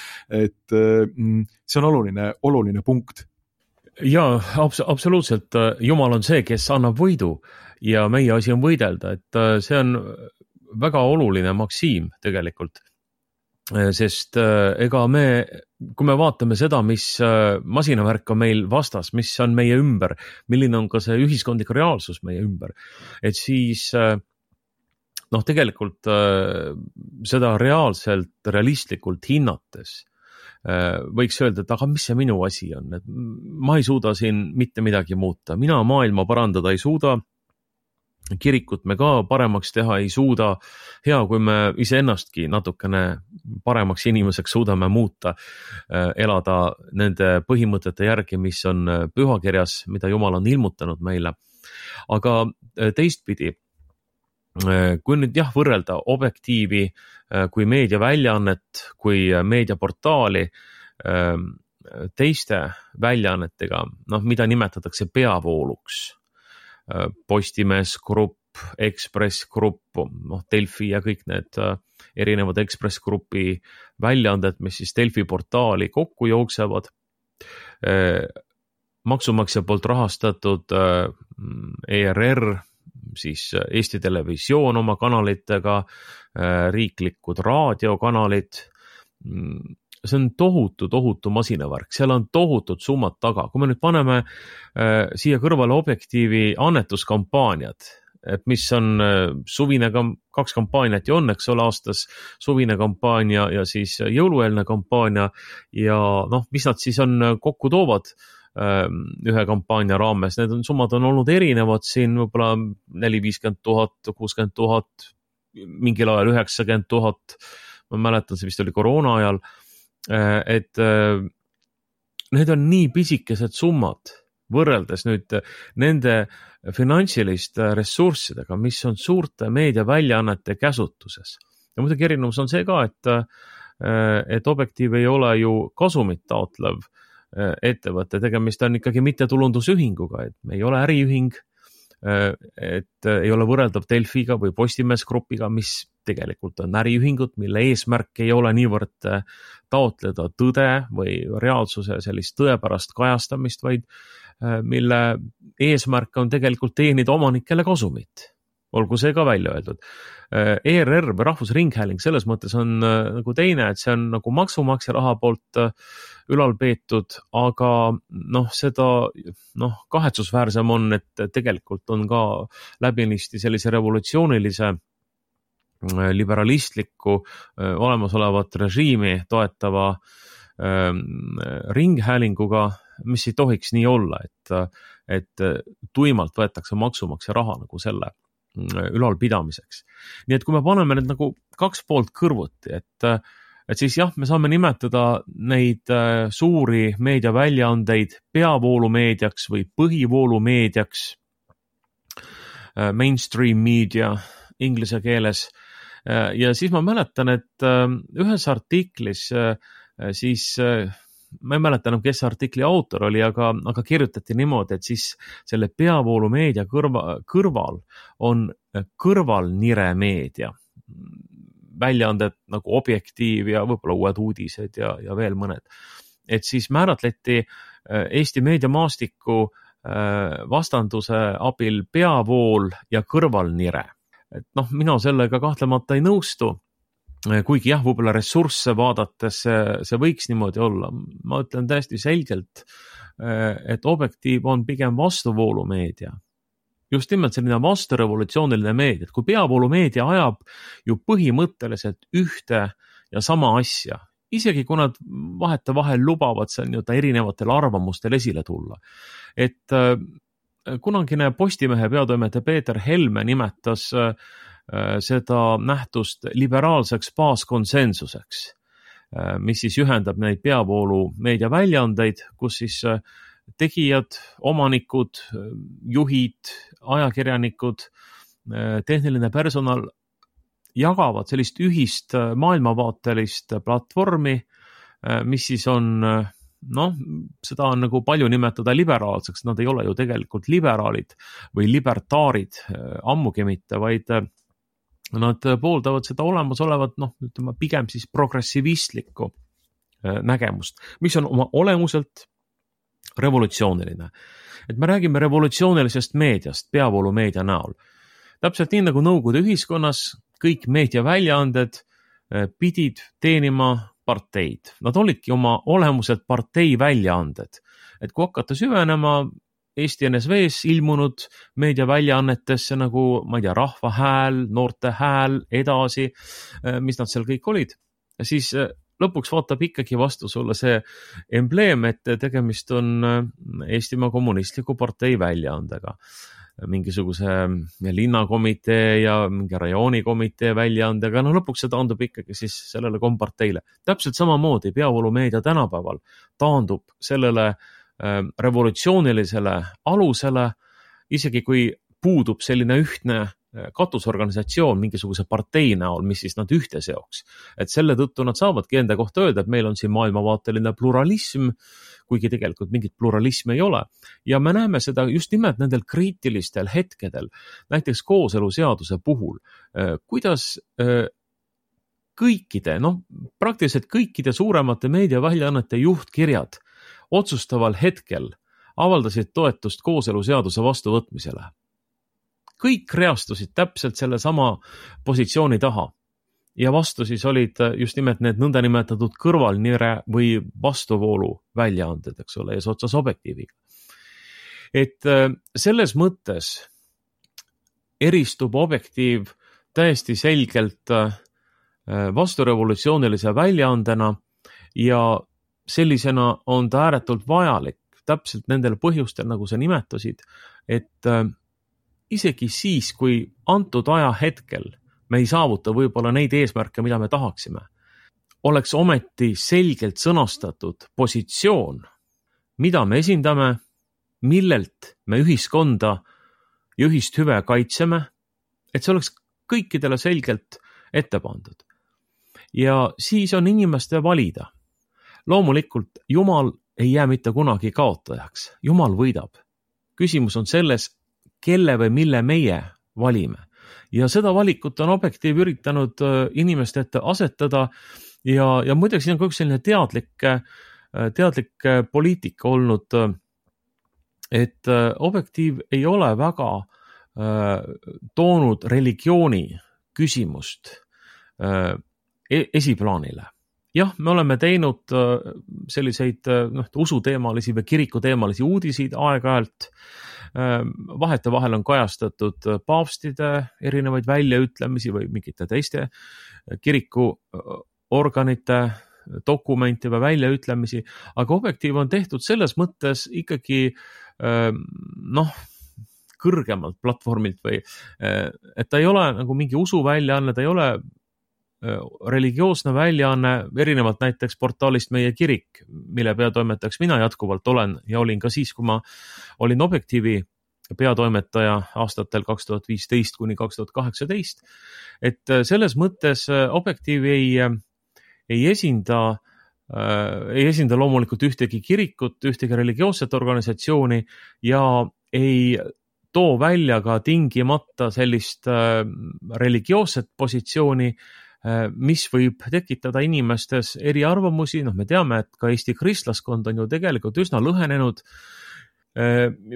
Et see on oluline, oluline punkt. Jaa, abs- absoluutselt. Jumal on see, kes annab võidu ja meie asi on võidelda, et see on väga oluline maksiim tegelikult, sest ega me, kui me vaatame seda, mis masinavärk on meil vastas, mis on meie ümber, milline on ka see ühiskondlik reaalsus meie ümber, et siis noh, tegelikult seda reaalselt, realistlikult hinnates võiks öelda, et aga mis see minu asi on, et ma ei suuda siin mitte midagi muuta, mina maailma parandada ei suuda, kirikut me ka paremaks teha ei suuda, hea kui me iseennastki natukene paremaks inimeseks suudame muuta, elada nende põhimõtete järgi, mis on pühakirjas, mida Jumal on ilmutanud meile. Aga teistpidi, kui nüüd jah võrrelda objektiivi kui meediaväljaannet, kui meediaportaali teiste väljaannetega, noh, mida nimetatakse peavooluks, Postimees Grupp, Ekspress Grupp, noh, Delfi ja kõik need erinevad Ekspress Grupi väljaanded, mis siis Delfi portaali kokku jooksevad, maksumaksja poolt rahastatud E R R, siis Eesti Televisioon oma kanalitega, riiklikud raadiokanalid, see on tohutu, tohutu masinavärk, seal on tohutud summad taga. Kui me nüüd paneme äh, siia kõrvale objektiivi annetuskampaaniad, et mis on äh, suvine, kaks kampaaniat ju on, eks ole, aastas suvine kampaania ja siis jõulueelne kampaania ja noh, mis nad siis on kokku toovad äh, ühe kampaania raames, need on, summad on olnud erinevad siin võib-olla neli viiskümmend tuhat, kuuskümmend tuhat, mingil ajal üheksakümmend tuhat, ma mäletan, see vist oli koroona ajal, et need on nii pisikesed summad võrreldes nüüd nende finantsiliste ressurssidega, mis on suurte meediaväljaannete käsutuses. Ja muidugi erinevus on see ka, et, et objektiiv ei ole ju kasumit taotlev ettevõte, tegemist on ikkagi mittetulundusühinguga, et me ei ole äriühing, et ei ole võrreldav Delfiga või Postimees Grupiga, mis tegelikult on äriühingud, mille eesmärk ei ole niivõrd taotleda tõde või reaalsuse sellist tõepärast kajastamist, vaid mille eesmärk on tegelikult teenida omanikele kasumit. Olgu see ka välja öeldud. E R R või Rahvusringhääling selles mõttes on nagu teine, et see on nagu maksumaksja raha poolt ülal peetud, aga noh, seda noh, kahetsusväärsem on, et tegelikult on ka läbinisti sellise revolutsioonilise liberalistliku olemasolevat režiimi toetava ringhäälinguga, mis ei tohiks nii olla, et, et tuimalt võetakse maksumaksja raha nagu selle ülalpidamiseks. Nii et kui me paneme need nagu kaks poolt kõrvuti, et, et siis jah, me saame nimetada neid suuri meediaväljaandeid peavoolumeediaks või põhivoolumeediaks, mainstream media inglise keeles. Ja siis ma mäletan, et ühes artiklis siis ma ei mäleta enam, kes artikli autor oli, aga, aga kirjutati niimoodi, et siis selle peavoolumeedia kõrva, kõrval on kõrvalnire meedia. väljaanded nagu Objektiiv ja võib-olla Uued uudised ja, ja veel mõned. Et siis määratleti Eesti meediamaastiku vastanduse abil peavool ja kõrvalnire. Et noh, mina sellega kahtlemata ei nõustu, kuigi jah, võib-olla ressursse vaadates see, see võiks niimoodi olla. Ma ütlen täiesti selgelt, et Objektiiv on pigem vastuvoolumeedia. Just nimelt selline vasturevolutsiooniline meedia, et kui peavoolumeedia ajab ju põhimõtteliselt ühte ja sama asja, isegi kui nad vahete vahel lubavad seal nii-öelda erinevatel arvamustel esile tulla. Et äh, kunagine Postimehe peatoimetaja Peeter Helme nimetas äh, seda nähtust liberaalseks baaskonsensuseks, äh, mis siis ühendab neid peavoolu meediaväljaandeid, kus siis äh, tegijad, omanikud, juhid, ajakirjanikud, äh, tehniline personal jagavad sellist ühist maailmavaatelist platvormi, mis siis on, noh, seda on nagu palju nimetada liberaalseks, nad ei ole ju tegelikult liberaalid või libertaarid ammugi mitte, vaid nad pooldavad seda olemasolevat, noh, ütleme pigem siis progressivistlikku nägemust, mis on oma olemuselt revolutsiooniline. Et me räägime revolutsioonilisest meediast, peavoolumeedia näol. Täpselt nii nagu Nõukogude ühiskonnas kõik meediaväljaanded pidid teenima parteid. Nad olidki oma olemuselt partei väljaanded. Et kui hakata süvenema Eesti N S V-s ilmunud meediaväljaannetesse nagu, ma ei tea, Rahva Hääl, Noorte Hääl, edasi, mis nad seal kõik olid, siis lõpuks vaatab ikkagi vastu sulle see embleem, et tegemist on Eestimaa Kommunistliku partei väljaandega. Mingisuguse linnakomitee ja mingi rajoonikomitee väljaandega, no lõpuks see taandub ikkagi siis sellele komparteile. Täpselt samamoodi peavoolumeedia tänapäeval taandub sellele äh, revolutsioonilisele alusele, isegi kui puudub selline ühtne katusorganisatsioon mingisuguse partei näol, mis siis nad ühte seoks. Et selle tõttu nad saavadki enda kohta öelda, et meil on siin maailmavaateline pluralism, kuigi tegelikult mingit pluralismi ei ole. Ja me näeme seda just nimelt nendel kriitilistel hetkedel, näiteks kooseluseaduse puhul, kuidas kõikide, noh, praktiliselt kõikide suuremate meediaväljaannete juhtkirjad otsustaval hetkel avaldasid toetust kooseluseaduse vastuvõtmisele. Kõik reastusid täpselt selle sama positsiooni taha ja vastu siis olid just nimelt need nõndanimetatud kõrvalnire või vastuvoolu väljaanded, eks ole, eesotsas Objektiiviga. Et selles mõttes eristub Objektiiv täiesti selgelt vasturevolutsioonilise väljaandena ja sellisena on ta ääretult vajalik täpselt nendel põhjustel, nagu sa nimetasid, et isegi siis, kui antud aja hetkel me ei saavuta võib-olla neid eesmärke, mida me tahaksime, oleks ometi selgelt sõnastatud positsioon, mida me esindame, millelt me ühiskonda ja ühist hüve kaitseme, et see oleks kõikidele selgelt ette pandud. Ja siis on inimeste valida. Loomulikult Jumal ei jää mitte kunagi kaotajaks. Jumal võidab. Küsimus on selles, kelle või mille meie valime. Ja seda valikut on Objektiiv üritanud inimeste ette asetada ja, ja muideks siin on ka üks selline teadlik, teadlik poliitika olnud, et Objektiiv ei ole väga toonud religiooni küsimust esiplaanile. Jah, me oleme teinud selliseid noh, usuteemalisi või kirikuteemalisi uudiseid aeg-ajalt. Vahete vahel on kajastatud paavstide erinevaid väljaütlemisi või mingite teiste kirikuorganite dokumente või väljaütlemisi, aga Objektiiv on tehtud selles mõttes ikkagi noh, kõrgemalt platvormilt või et ta ei ole nagu mingi usuväljaanne, ta ei ole religioosne väljaanne, erinevalt näiteks portaalist Meie kirik, mille peatoimetajaks mina jätkuvalt olen ja olin ka siis, kui ma olin Objektiivi peatoimetaja aastatel kaks tuhat viisteist kuni kaks tuhat kaheksateist. Et selles mõttes Objektiiv ei, ei esinda, ei esinda loomulikult ühtegi kirikut, ühtegi religioosset organisatsiooni ja ei too välja ka tingimata sellist religioosset positsiooni, mis võib tekitada inimestes eriarvamusi, noh me teame, et ka Eesti kristlaskond on ju tegelikult üsna lõhenenud,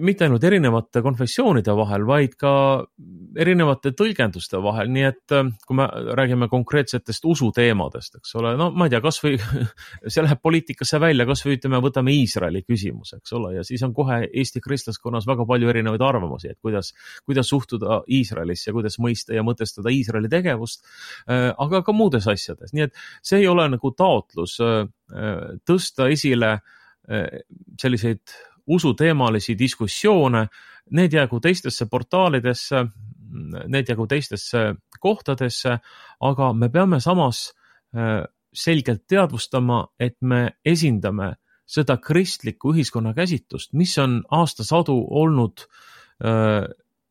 mitte ainult erinevate konfessioonide vahel, vaid ka erinevate tõlgenduste vahel, nii et kui me räägime konkreetsetest usuteemadest, eks ole, no ma ei tea, kas või see läheb poliitikasse välja, kas või ütleme, võtame Iisraeli küsimus, eks ole, ja siis on kohe Eesti kristlaskonnas väga palju erinevaid arvamusi, et kuidas, kuidas suhtuda Iisraelisse, kuidas mõista ja mõtestada Iisraeli tegevust, aga ka muudes asjades, nii et see ei ole nagu taotlus tõsta esile selliseid usuteemalisi diskussioone, need jäägu teistesse portaalidesse, need jäägu teistesse kohtadesse, aga me peame samas selgelt teadvustama, et me esindame seda kristlikku ühiskonna käsitlust, mis on aastasadu olnud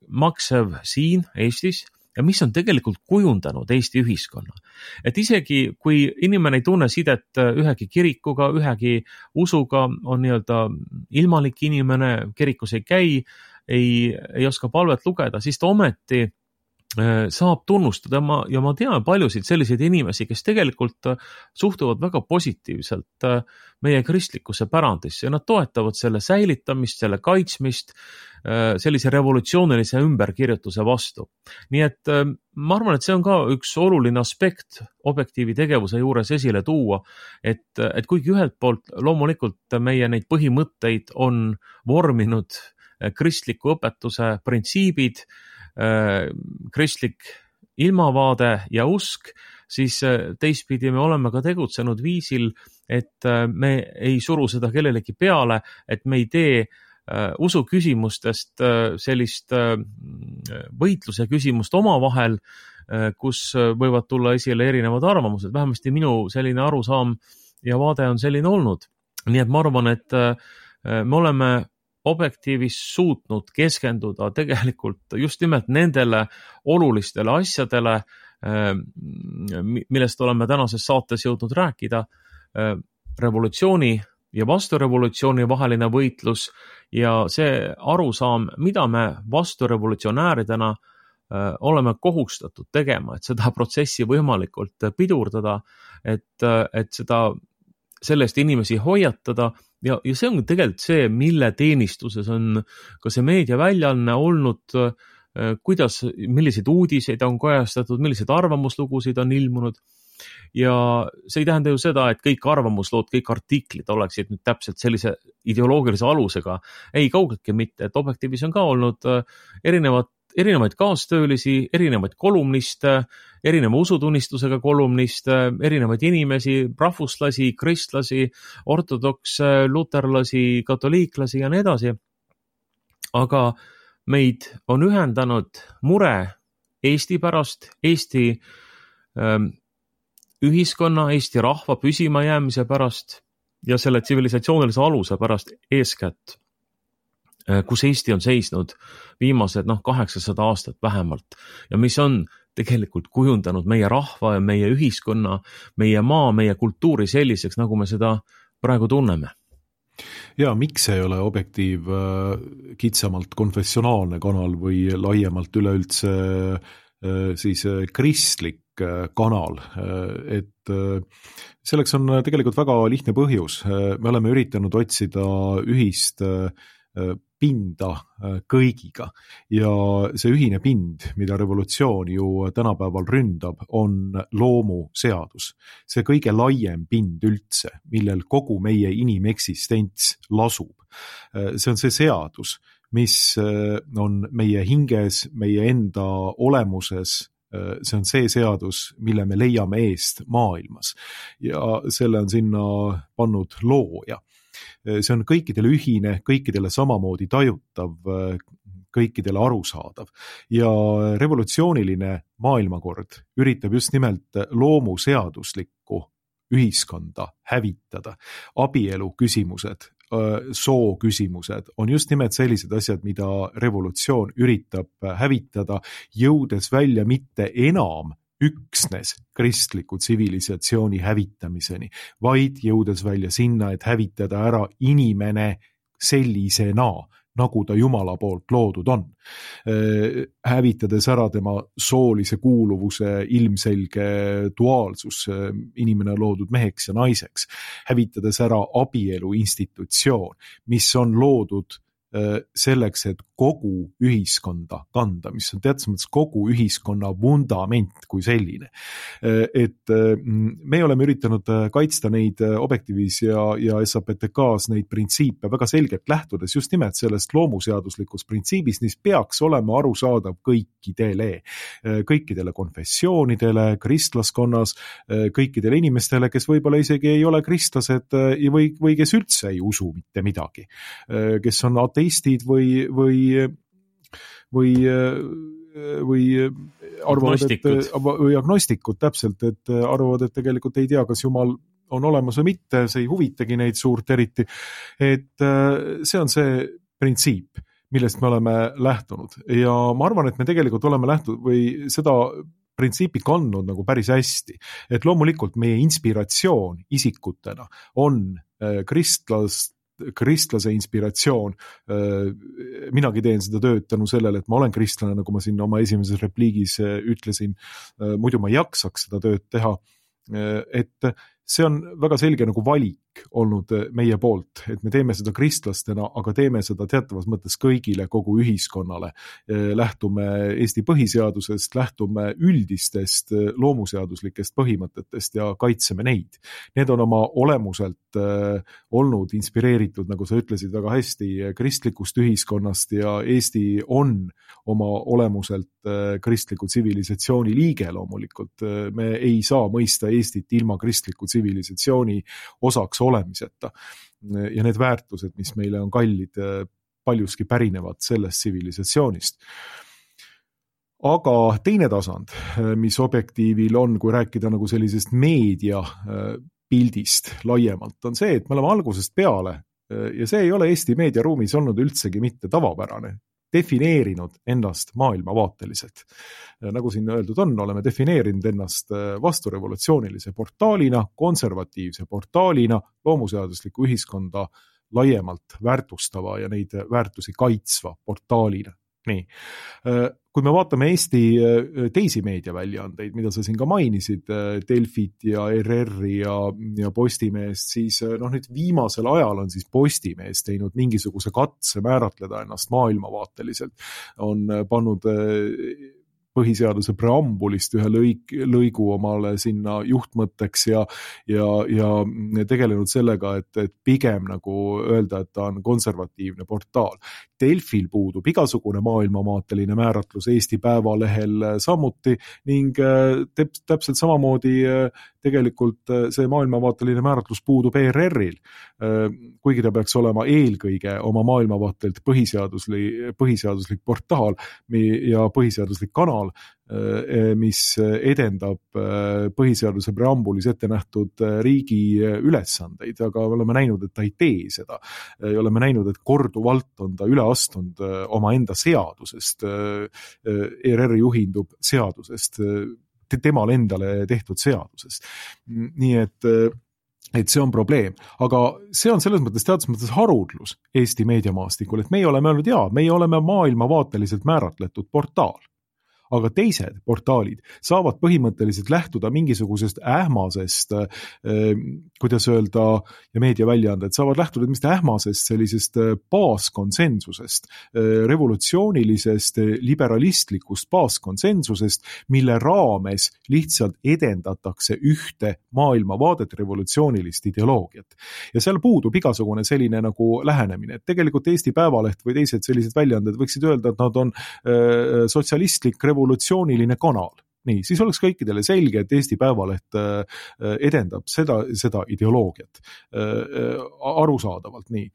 maksev siin Eestis ja mis on tegelikult kujundanud Eesti ühiskonna. Et isegi kui inimene ei tunne sidet ühegi kirikuga, ühegi usuga, on nii-öelda ilmalik inimene, kirikus ei käi, ei, ei oska palvet lugeda, siis ta ometi saab tunnustada ma, ja ma tean paljusid selliseid inimesi, kes tegelikult suhtuvad väga positiivselt meie kristlikkuse pärandisse ja nad toetavad selle säilitamist, selle kaitsmist, sellise revolutsioonilise ümberkirjutuse vastu. Nii et ma arvan, et see on ka üks oluline aspekt objektiivi tegevuse juures esile tuua, et, et kuigi ühelt poolt loomulikult meie neid põhimõtteid on vorminud kristliku õpetuse printsiibid, kristlik ilmavaade ja usk, siis teistpidi me oleme ka tegutsenud viisil, et me ei suru seda kellelegi peale, et me ei tee usu küsimustest sellist võitluse küsimust omavahel, kus võivad tulla esile erinevad arvamused. Vähemasti minu selline arusaam ja vaade on selline olnud. Nii et ma arvan, et me oleme objektiivis suutnud keskenduda tegelikult just nimelt nendele olulistele asjadele, millest oleme tänases saates jõudnud rääkida, revolutsiooni ja vasturevolutsiooni vaheline võitlus ja see arusaam, mida me vasturevolutsionääridena oleme kohustatud tegema, et seda protsessi võimalikult pidurdada, et, et seda, sellest inimesi hoiatada. Ja, ja see on tegelikult see, mille teenistuses on ka see meediaväljaanne olnud, kuidas, milliseid uudiseid on kajastatud, milliseid arvamuslugusid on ilmunud. Ja see ei tähenda ju seda, et kõik arvamuslood, kõik artiklid oleksid nüüd täpselt sellise ideoloogilise alusega. Ei, kaugeltki mitte, et objektiivis on ka olnud erinevad erinevaid kaastöölisi, erinevaid kolumniste, erineva usutunnistusega kolumniste, erinevaid inimesi, rahvuslasi, kristlasi, ortodokse, luterlasi, katoliiklasi ja nii edasi. Aga meid on ühendanud mure Eesti pärast, Eesti ähm, ühiskonna, Eesti rahva püsima jäämise pärast ja selle tsivilisatsioonilise aluse pärast eeskätt, kus Eesti on seisnud viimased noh, kaheksasada aastat vähemalt ja mis on tegelikult kujundanud meie rahva ja meie ühiskonna, meie maa, meie kultuuri selliseks, nagu me seda praegu tunneme. Ja miks ei ole objektiiv kitsamalt konfessionaalne kanal või laiemalt üleüldse siis kristlik kanal, et selleks on tegelikult väga lihtne põhjus. Me oleme üritanud otsida ühist pinda kõigiga ja see ühine pind, mida revolutsioon ju tänapäeval ründab, on loomuseadus. See kõige laiem pind üldse, millel kogu meie inimeksistents lasub. See on see seadus, mis on meie hinges, meie enda olemuses. See on see seadus, mille me leiame eest maailmas ja selle on sinna pannud looja. See on kõikidele ühine, kõikidele samamoodi tajutav, kõikidele arusaadav ja revolutsiooniline maailmakord üritab just nimelt loomuseaduslikku ühiskonda hävitada. Abielu küsimused, soo küsimused on just nimelt sellised asjad, mida revolutsioon üritab hävitada, jõudes välja mitte enam üksnes kristliku tsivilisatsiooni hävitamiseni, vaid jõudes välja sinna, et hävitada ära inimene sellisena, nagu ta Jumala poolt loodud on. Hävitades ära tema soolise kuuluvuse ilmselge duaalsus, inimene on loodud meheks ja naiseks, hävitades ära abielu institutsioon, mis on loodud selleks, et kogu ühiskonda kanda, mis on teatud mõttes kogu ühiskonna vundament kui selline. Et me oleme üritanud kaitsta neid Objektiivis ja, ja S A P T K-s neid printsiipe väga selgelt lähtudes just nimelt sellest loomuseaduslikust printsiibist, mis peaks olema arusaadav kõikidele, kõikidele konfessioonidele, kristlaskonnas, kõikidele inimestele, kes võib-olla isegi ei ole kristlased või, või kes üldse ei usu mitte midagi, kes on ateistid või, või või, või arvavad, et, või agnostikud täpselt, et arvavad, et tegelikult ei tea, kas Jumal on olemas või mitte, see ei huvitagi neid suurt eriti, et see on see printsiip, millest me oleme lähtunud ja ma arvan, et me tegelikult oleme lähtunud või seda printsiipi kandnud nagu päris hästi, et loomulikult meie inspiratsioon isikutena on kristlast kristlase inspiratsioon. Minagi teen seda tööd tänu sellele, et ma olen kristlane, nagu ma siin oma esimeses repliigis ütlesin, muidu ma ei jaksaks seda tööd teha, et see on väga selge nagu valik olnud meie poolt, et me teeme seda kristlastena, aga teeme seda teatavas mõttes kõigile, kogu ühiskonnale. Lähtume Eesti põhiseadusest, lähtume üldistest loomuseaduslikest põhimõtetest ja kaitseme neid. Need on oma olemuselt olnud inspireeritud, nagu sa ütlesid väga hästi, kristlikust ühiskonnast ja Eesti on oma olemuselt kristliku tsivilisatsiooni liige loomulikult. Me ei saa mõista Eestit ilma kristliku tsivilisatsiooni osaks olemiseta. Ja need väärtused, mis meile on kallid, paljuski pärinevad sellest tsivilisatsioonist. Aga teine tasand, mis Objektiivil on, kui rääkida nagu sellisest meedia pildist laiemalt, on see, et me oleme algusest peale, ja see ei ole Eesti meediaruumis olnud üldsegi mitte tavapärane, defineerinud ennast maailmavaateliselt. Nagu siin öeldud on, oleme defineerinud ennast vasturevolutsioonilise portaalina, konservatiivse portaalina, loomuseadusliku ühiskonda laiemalt väärtustava ja neid väärtusi kaitsva portaalina. Nii. Kui me vaatame Eesti teisi meediaväljaandeid, mida sa siin ka mainisid, Delfit ja R R-i ja, ja Postimeest, siis noh, nüüd viimasel ajal on siis Postimees teinud mingisuguse katse määratleda ennast maailmavaateliselt. On pannud põhiseaduse preambulist ühe lõik, lõigu omale sinna juhtmõtteks ja, ja, ja tegelenud sellega, et, et pigem nagu öelda, et ta on konservatiivne portaal. Delfil puudub igasugune maailmamaateline määratlus Eesti Päevalehel samuti ning täp- täpselt samamoodi tegelikult see maailmavaateline määratlus puudub E R R-il, kuigi ta peaks olema eelkõige oma maailmavaatelt põhiseaduslik, põhiseaduslik portaal ja põhiseaduslik kanal, mis edendab põhiseaduse preambulis ette nähtud riigi ülesandeid, aga oleme näinud, et ta ei tee seda. Oleme näinud, et korduvalt on ta üle astunud oma enda seadusest. E R R juhindub seadusest, temal endale tehtud seadusest. Nii et et see on probleem, aga see on selles mõttes teatud mõttes haruldlus Eesti meediamaastikul, et meie oleme öelnud, jaa, meie oleme maailmavaateliselt määratletud portaal. Aga teised portaalid saavad põhimõtteliselt lähtuda mingisugusest ähmasest, kuidas öelda, ja meediaväljaanded saavad lähtuda mingist ähmasest sellisest baaskonsensusest, revolutsioonilisest, liberalistlikust baaskonsensusest, mille raames lihtsalt edendatakse ühte maailmavaadet, revolutsioonilist ideoloogiat. Ja seal puudub igasugune selline nagu lähenemine, et tegelikult Eesti Päevaleht või teised sellised väljaanded võiksid öelda, et nad on sotsialistlik revolutsiooniline kanal. Nii, siis oleks kõikidele selge, et Eesti Päevaleht edendab seda, seda ideoloogiat arusaadavalt nii.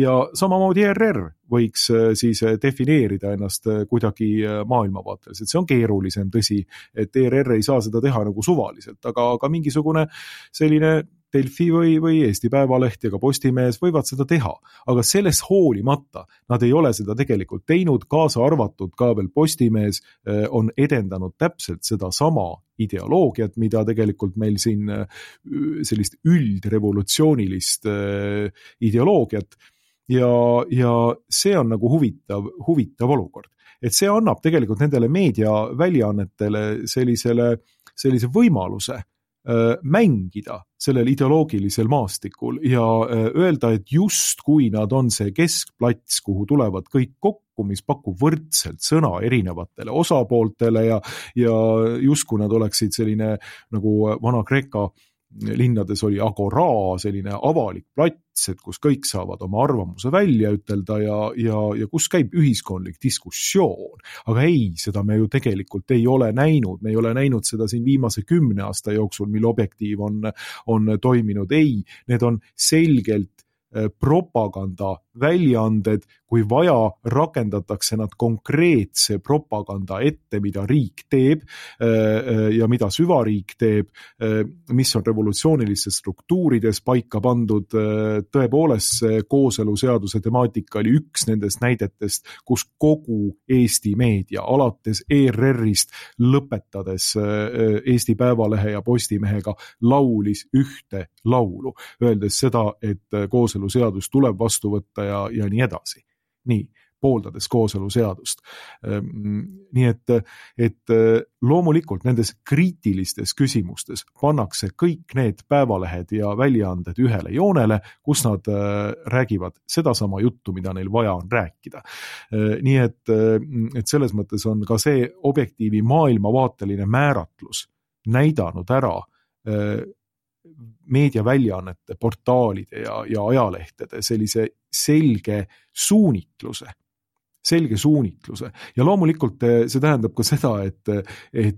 Ja samamoodi E R R võiks siis defineerida ennast kuidagi maailmavaateliselt. See on keerulisem, tõsi, et E R R ei saa seda teha nagu suvaliselt, aga, aga mingisugune selline Delfi või, või Eesti Päevaleht ja ka Postimees võivad seda teha, aga sellest hoolimata nad ei ole seda tegelikult teinud, kaasa arvatud ka veel Postimees on edendanud täpselt seda sama ideoloogiat, mida tegelikult meil siin sellist üldrevolutsioonilist ideoloogiat ja, ja see on nagu huvitav, huvitav olukord. Et see annab tegelikult nendele meediaväljaannetele sellisele, sellise võimaluse mängida sellel ideoloogilisel maastikul ja öelda, et just kui nad on see keskplats, kuhu tulevad kõik kokku, mis pakub võrdselt sõna erinevatele osapooltele ja, ja just kui nad oleksid selline nagu Vana-Kreeka linnades oli agora, selline avalik plats, et kus kõik saavad oma arvamuse välja ütelda ja, ja, ja kus käib ühiskondlik diskussioon. Aga ei, seda me ju tegelikult ei ole näinud. Me ei ole näinud seda siin viimase kümne aasta jooksul, mil Objektiiv on, on toiminud. Ei, need on selgelt propaganda väljaanded, kui vaja, rakendatakse nad konkreetse propaganda ette, mida riik teeb ja mida süvariik teeb, mis on revolutsioonilistes struktuurides paika pandud. Tõepoolest see kooseluseaduse temaatika oli üks nendest näidetest, kus kogu Eesti meedia, alates E R R-ist lõpetades Eesti Päevalehe ja Postimehega laulis ühte laulu, öeldes seda, et kooseluseadus tuleb vastu võtta ja, ja nii edasi. Nii, pooldades kooseluseadust. Nii et, et loomulikult nendes kriitilistes küsimustes pannakse kõik need päevalehed ja väljaanded ühele joonele, kus nad räägivad sedasama juttu, mida neil vaja on rääkida. Nii et, et selles mõttes on ka see Objektiivi maailmavaateline määratlus näidanud ära meediaväljaannete, portaalide ja, ja ajalehtede sellise selge suunitluse, selge suunitluse. Ja loomulikult see tähendab ka seda, et, et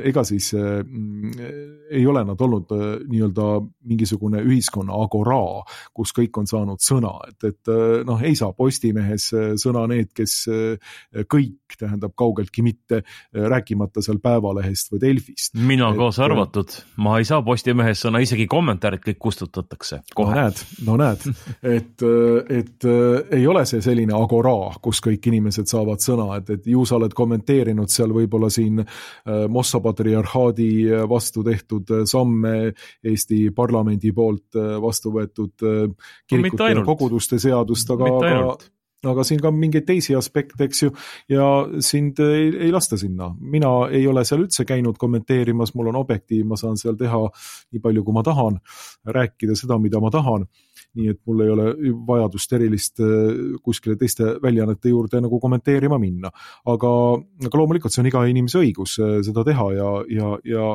ega siis ei ole nad olnud nii-öelda mingisugune ühiskonna agora, kus kõik on saanud sõna. Et, et noh, ei saa Postimehes sõna need, kes kõik, tähendab kaugeltki mitte, rääkimata seal Päevalehest või Delfist. Mina et, kaasa arvatud. Ma ei saa Postimehes sõna, isegi kommentaarid kõik kustutatakse kohe. No näed, no näed. Et, et ei ole see selline agora, kus kõik inimesed saavad sõna, et, et ju sa oled kommenteerinud seal võib-olla siin Mossa patriarhaadi vastu tehtud samme Eesti parlamendi poolt vastu võetud kirikute ja koguduste seadust, aga, aga, aga siin ka mingeid teisi aspekte, eks ju, ja sind ei, ei lasta sinna. Mina ei ole seal üldse käinud kommenteerimas, mul on Objektiiv, ma saan seal teha nii palju, kui ma tahan, rääkida seda, mida ma tahan. Nii et mul ei ole vajadust erilist kuskile teiste väljaannete juurde nagu kommenteerima minna. Aga, aga loomulikult see on iga inimese õigus seda teha ja, ja, ja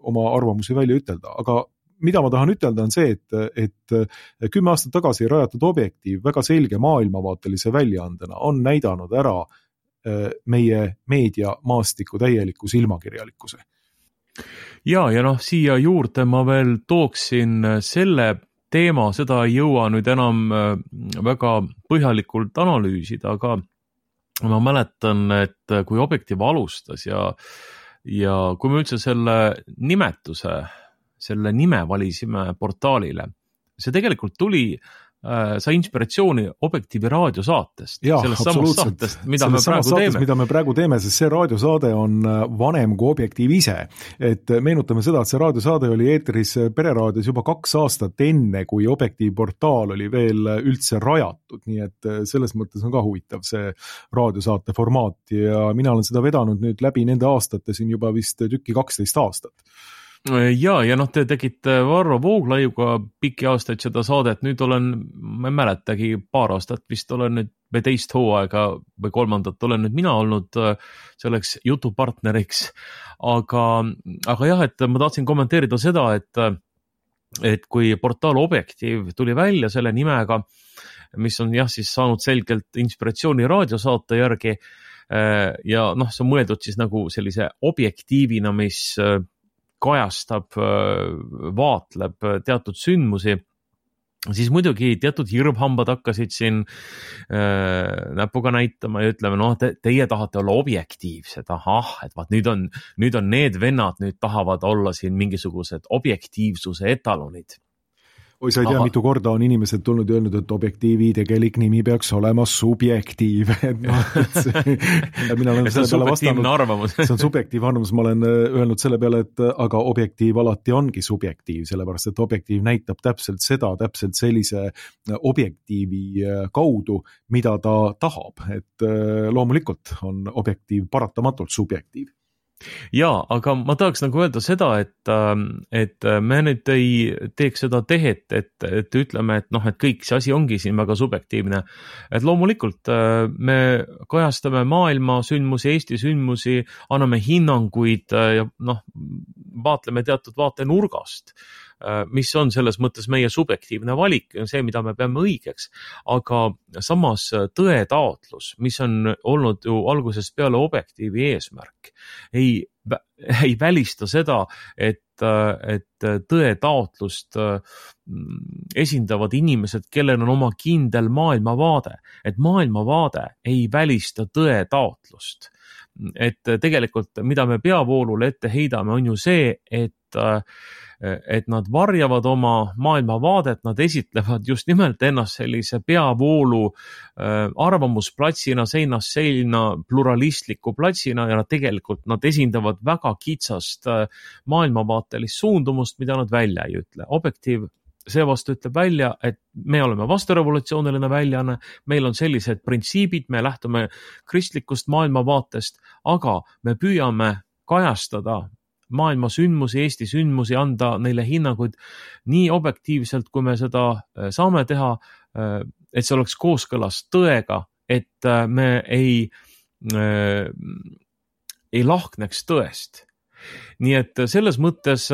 oma arvamusi välja ütelda. Aga mida ma tahan ütelda on see, et, et kümme aastat tagasi rajatud Objektiiv väga selge maailmavaatelise väljaandena on näidanud ära meie meedia maastiku täieliku silmakirjalikkuse. Ja, ja noh, siia juurde ma veel tooksin selle teema, seda ei jõua nüüd enam väga põhjalikult analüüsida, aga ma mäletan, et kui Objektiiv alustas ja, ja kui me üldse selle nimetuse, selle nime valisime portaalile, see tegelikult tuli sai inspiratsiooni Objektiivi raadiosaatest. Ja, sellest samast saatest, mida me praegu saates, teeme. mida me praegu teeme, sest see raadiosaade on vanem kui Objektiiv ise. Et meenutame seda, et see raadiosaade oli eetris Pereraadios juba kaks aastat enne, kui Objektiiv portaal oli veel üldse rajatud. Nii et selles mõttes on ka huvitav see raadiosaate formaat ja mina olen seda vedanud nüüd läbi nende aastate siin juba vist tükki kaksteist aastat. Ja, ja noh, te tegite Varro Vooglaiuga pikki aastaid seda saadet, nüüd olen, ma ei mäletagi, paar aastat vist olen nüüd või teist hooaega või kolmandat olen nüüd mina olnud selleks jutupartneriks, aga, aga jah, et ma tahtsin kommenteerida seda, et, et kui portaal Objektiiv tuli välja selle nimega, mis on jah siis saanud selgelt inspiratsiooni raadiosaate järgi ja noh, see on mõeldud siis nagu sellise objektiivina, mis kajastab, vaatleb teatud sündmusi, siis muidugi teatud hirmhambad hakkasid siin äh, näpuga näitama ja ütleme, noh, te, teie tahate olla objektiivsed, ahah, et vaat nüüd on, nüüd on need vennad, nüüd tahavad olla siin mingisugused objektiivsuse etalonid. oi, sa ei tea, mitu korda on inimesed tulnud ja öelnud, et objektiivi tegelik nimi peaks olema subjektiiv. Et no, et see, mina olen see on subjektiivne arvamus. See on subjektiivne arvamus, ma olen öelnud selle peale, et aga objektiiv alati ongi subjektiiv, sellepärast et objektiiv näitab täpselt seda, täpselt sellise objektiivi kaudu, mida ta tahab, et loomulikult on objektiiv paratamatult subjektiiv. Jaa, aga ma tahaks nagu öelda seda, et, et me nüüd ei teeks seda tehet, et, et ütleme, et noh, et kõik see asi ongi siin väga subjektiivne. Et loomulikult me kajastame maailma sündmusi, Eesti sündmusi, anname hinnanguid ja noh, vaatleme teatud vaatenurgast, mis on selles mõttes meie subjektiivne valik, see, mida me peame õigeks. Aga samas tõe taotlus, mis on olnud ju algusest peale objektiivi eesmärk, ei, ei välista seda, et, et tõe taotlust esindavad inimesed, kellel on oma kindel maailmavaade. Et maailmavaade ei välista tõe taotlust. Et tegelikult, mida me peavoolule ette heidame, on ju see, et et nad varjavad oma maailmavaadet, nad esitlevad just nimelt ennast sellise peavoolu arvamusplatsina, seinast seina, pluralistliku platsina ja nad tegelikult nad esindavad väga kitsast maailmavaatelist suundumust, mida nad välja ei ütle. Objektiiv seevastu ütleb välja, et me oleme vasturevolutsiooniline väljaanne, meil on sellised printsiibid, me lähtume kristlikust maailmavaatest, aga me püüame kajastada maailma sündmusi, Eesti sündmusi, anda neile hinnanguid nii objektiivselt, kui me seda saame teha, et see oleks kooskõlas tõega, et me ei, ei lahkneks tõest. Nii et selles mõttes,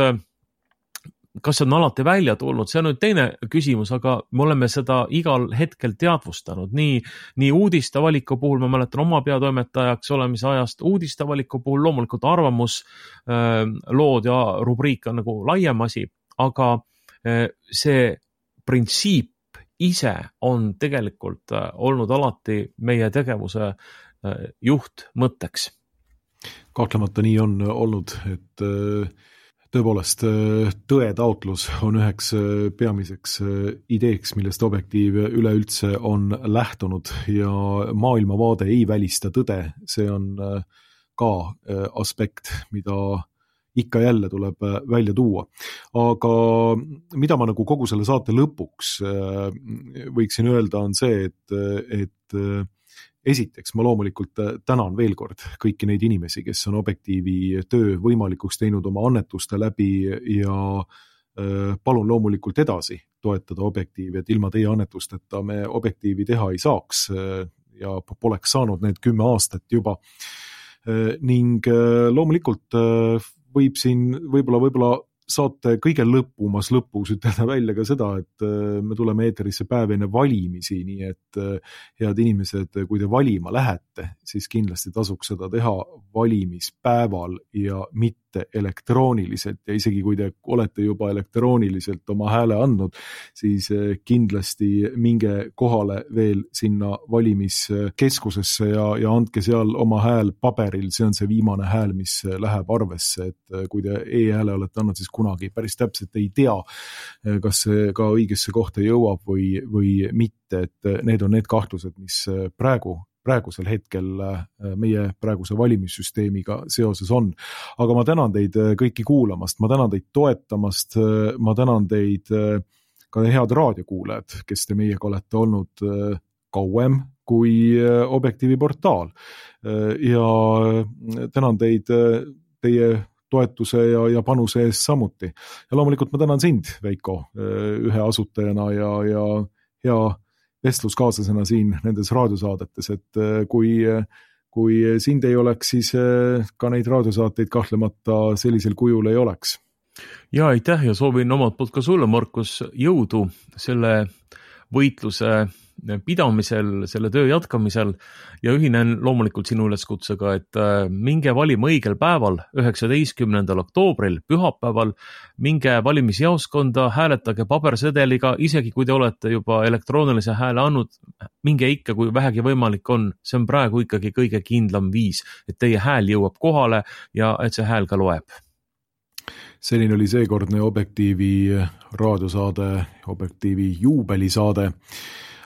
kas see on alati välja tulnud, see on nüüd teine küsimus, aga me oleme seda igal hetkel teadvustanud. Nii, nii uudistevaliku puhul, ma mäletan oma peatoimetajaks olemise ajast, uudistevaliku puhul loomulikult arvamus, lood ja rubriik on nagu laiem asi, aga see printsiip ise on tegelikult olnud alati meie tegevuse juht mõtteks. Kahtlemata nii on olnud, et tõepoolest, tõe taotlus on üheks peamiseks ideeks, millest objektiiv üleüldse on lähtunud ja maailmavaade ei välista tõde. See on ka aspekt, mida ikka jälle tuleb välja tuua. Aga mida ma nagu kogu selle saate lõpuks võiksin öelda on see, et, et esiteks, ma loomulikult tänan veel kord kõiki neid inimesi, kes on objektiivi töö võimalikuks teinud oma annetuste läbi ja palun loomulikult edasi toetada objektiivi, et ilma teie annetusteta me objektiivi teha ei saaks ja poleks saanud need kümme aastat juba. Ning loomulikult võib siin võib-olla, võib-olla saate kõige lõpumas lõpus ütelda välja ka seda, et me tuleme eeterisse päev enne valimisi, nii et head inimesed, kui te valima lähete, siis kindlasti tasuks seda teha valimispäeval ja mitte elektrooniliselt ja isegi kui te olete juba elektrooniliselt oma hääle andnud, siis kindlasti minge kohale veel sinna valimiskeskusesse ja, ja andke seal oma hääl paberil, see on see viimane hääl, mis läheb arvesse, et kui te e-hääle olete andnud, siis kunagi päris täpselt ei tea, kas see ka õigesse kohta jõuab või, või mitte, et need on need kahtlused, mis praegu praegusel hetkel meie praeguse valimissüsteemiga seoses on. Aga ma tänan teid kõiki kuulamast, ma tänan teid toetamast, ma tänan teid ka head raadiokuulajad, kes te meiega olete olnud kauem kui Objektiivi portaal. Ja tänan teid teie toetuse ja, ja panuse eest samuti. Ja loomulikult ma tänan sind, Veiko, ühe asutajana ja, ja hea vestluskaaslasena siin nendes raadiosaadetes, et kui, kui sind ei oleks, siis ka neid raadiosaateid kahtlemata sellisel kujul ei oleks. Ja aitäh ja soovin omalt poolt ka sulle, Markus, jõudu selle võitluse pidamisel, selle töö jätkamisel ja ühinen loomulikult sinu üleskutsega, et minge valima õigel päeval, üheksateistkümnendal oktoobril, pühapäeval, minge valimisjaoskonda, hääletage pabersedeliga, isegi kui te olete juba elektroonilise hääle andnud, minge ikka, kui vähegi võimalik on, see on praegu ikkagi kõige kindlam viis, et teie hääl jõuab kohale ja et see hääl ka loeb. selline oli seekordne Objektiivi raadiosaade, Objektiivi juubelisaade.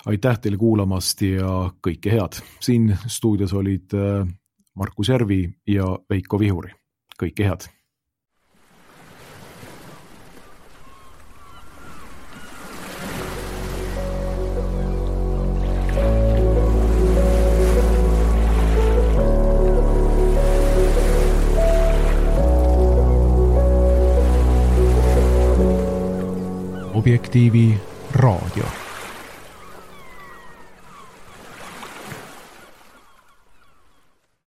Aitäh teile kuulamast ja kõike head. Siin stuudios olid Markus Järvi ja Veiko Vihuri. Kõike head. Objektiivi raadio.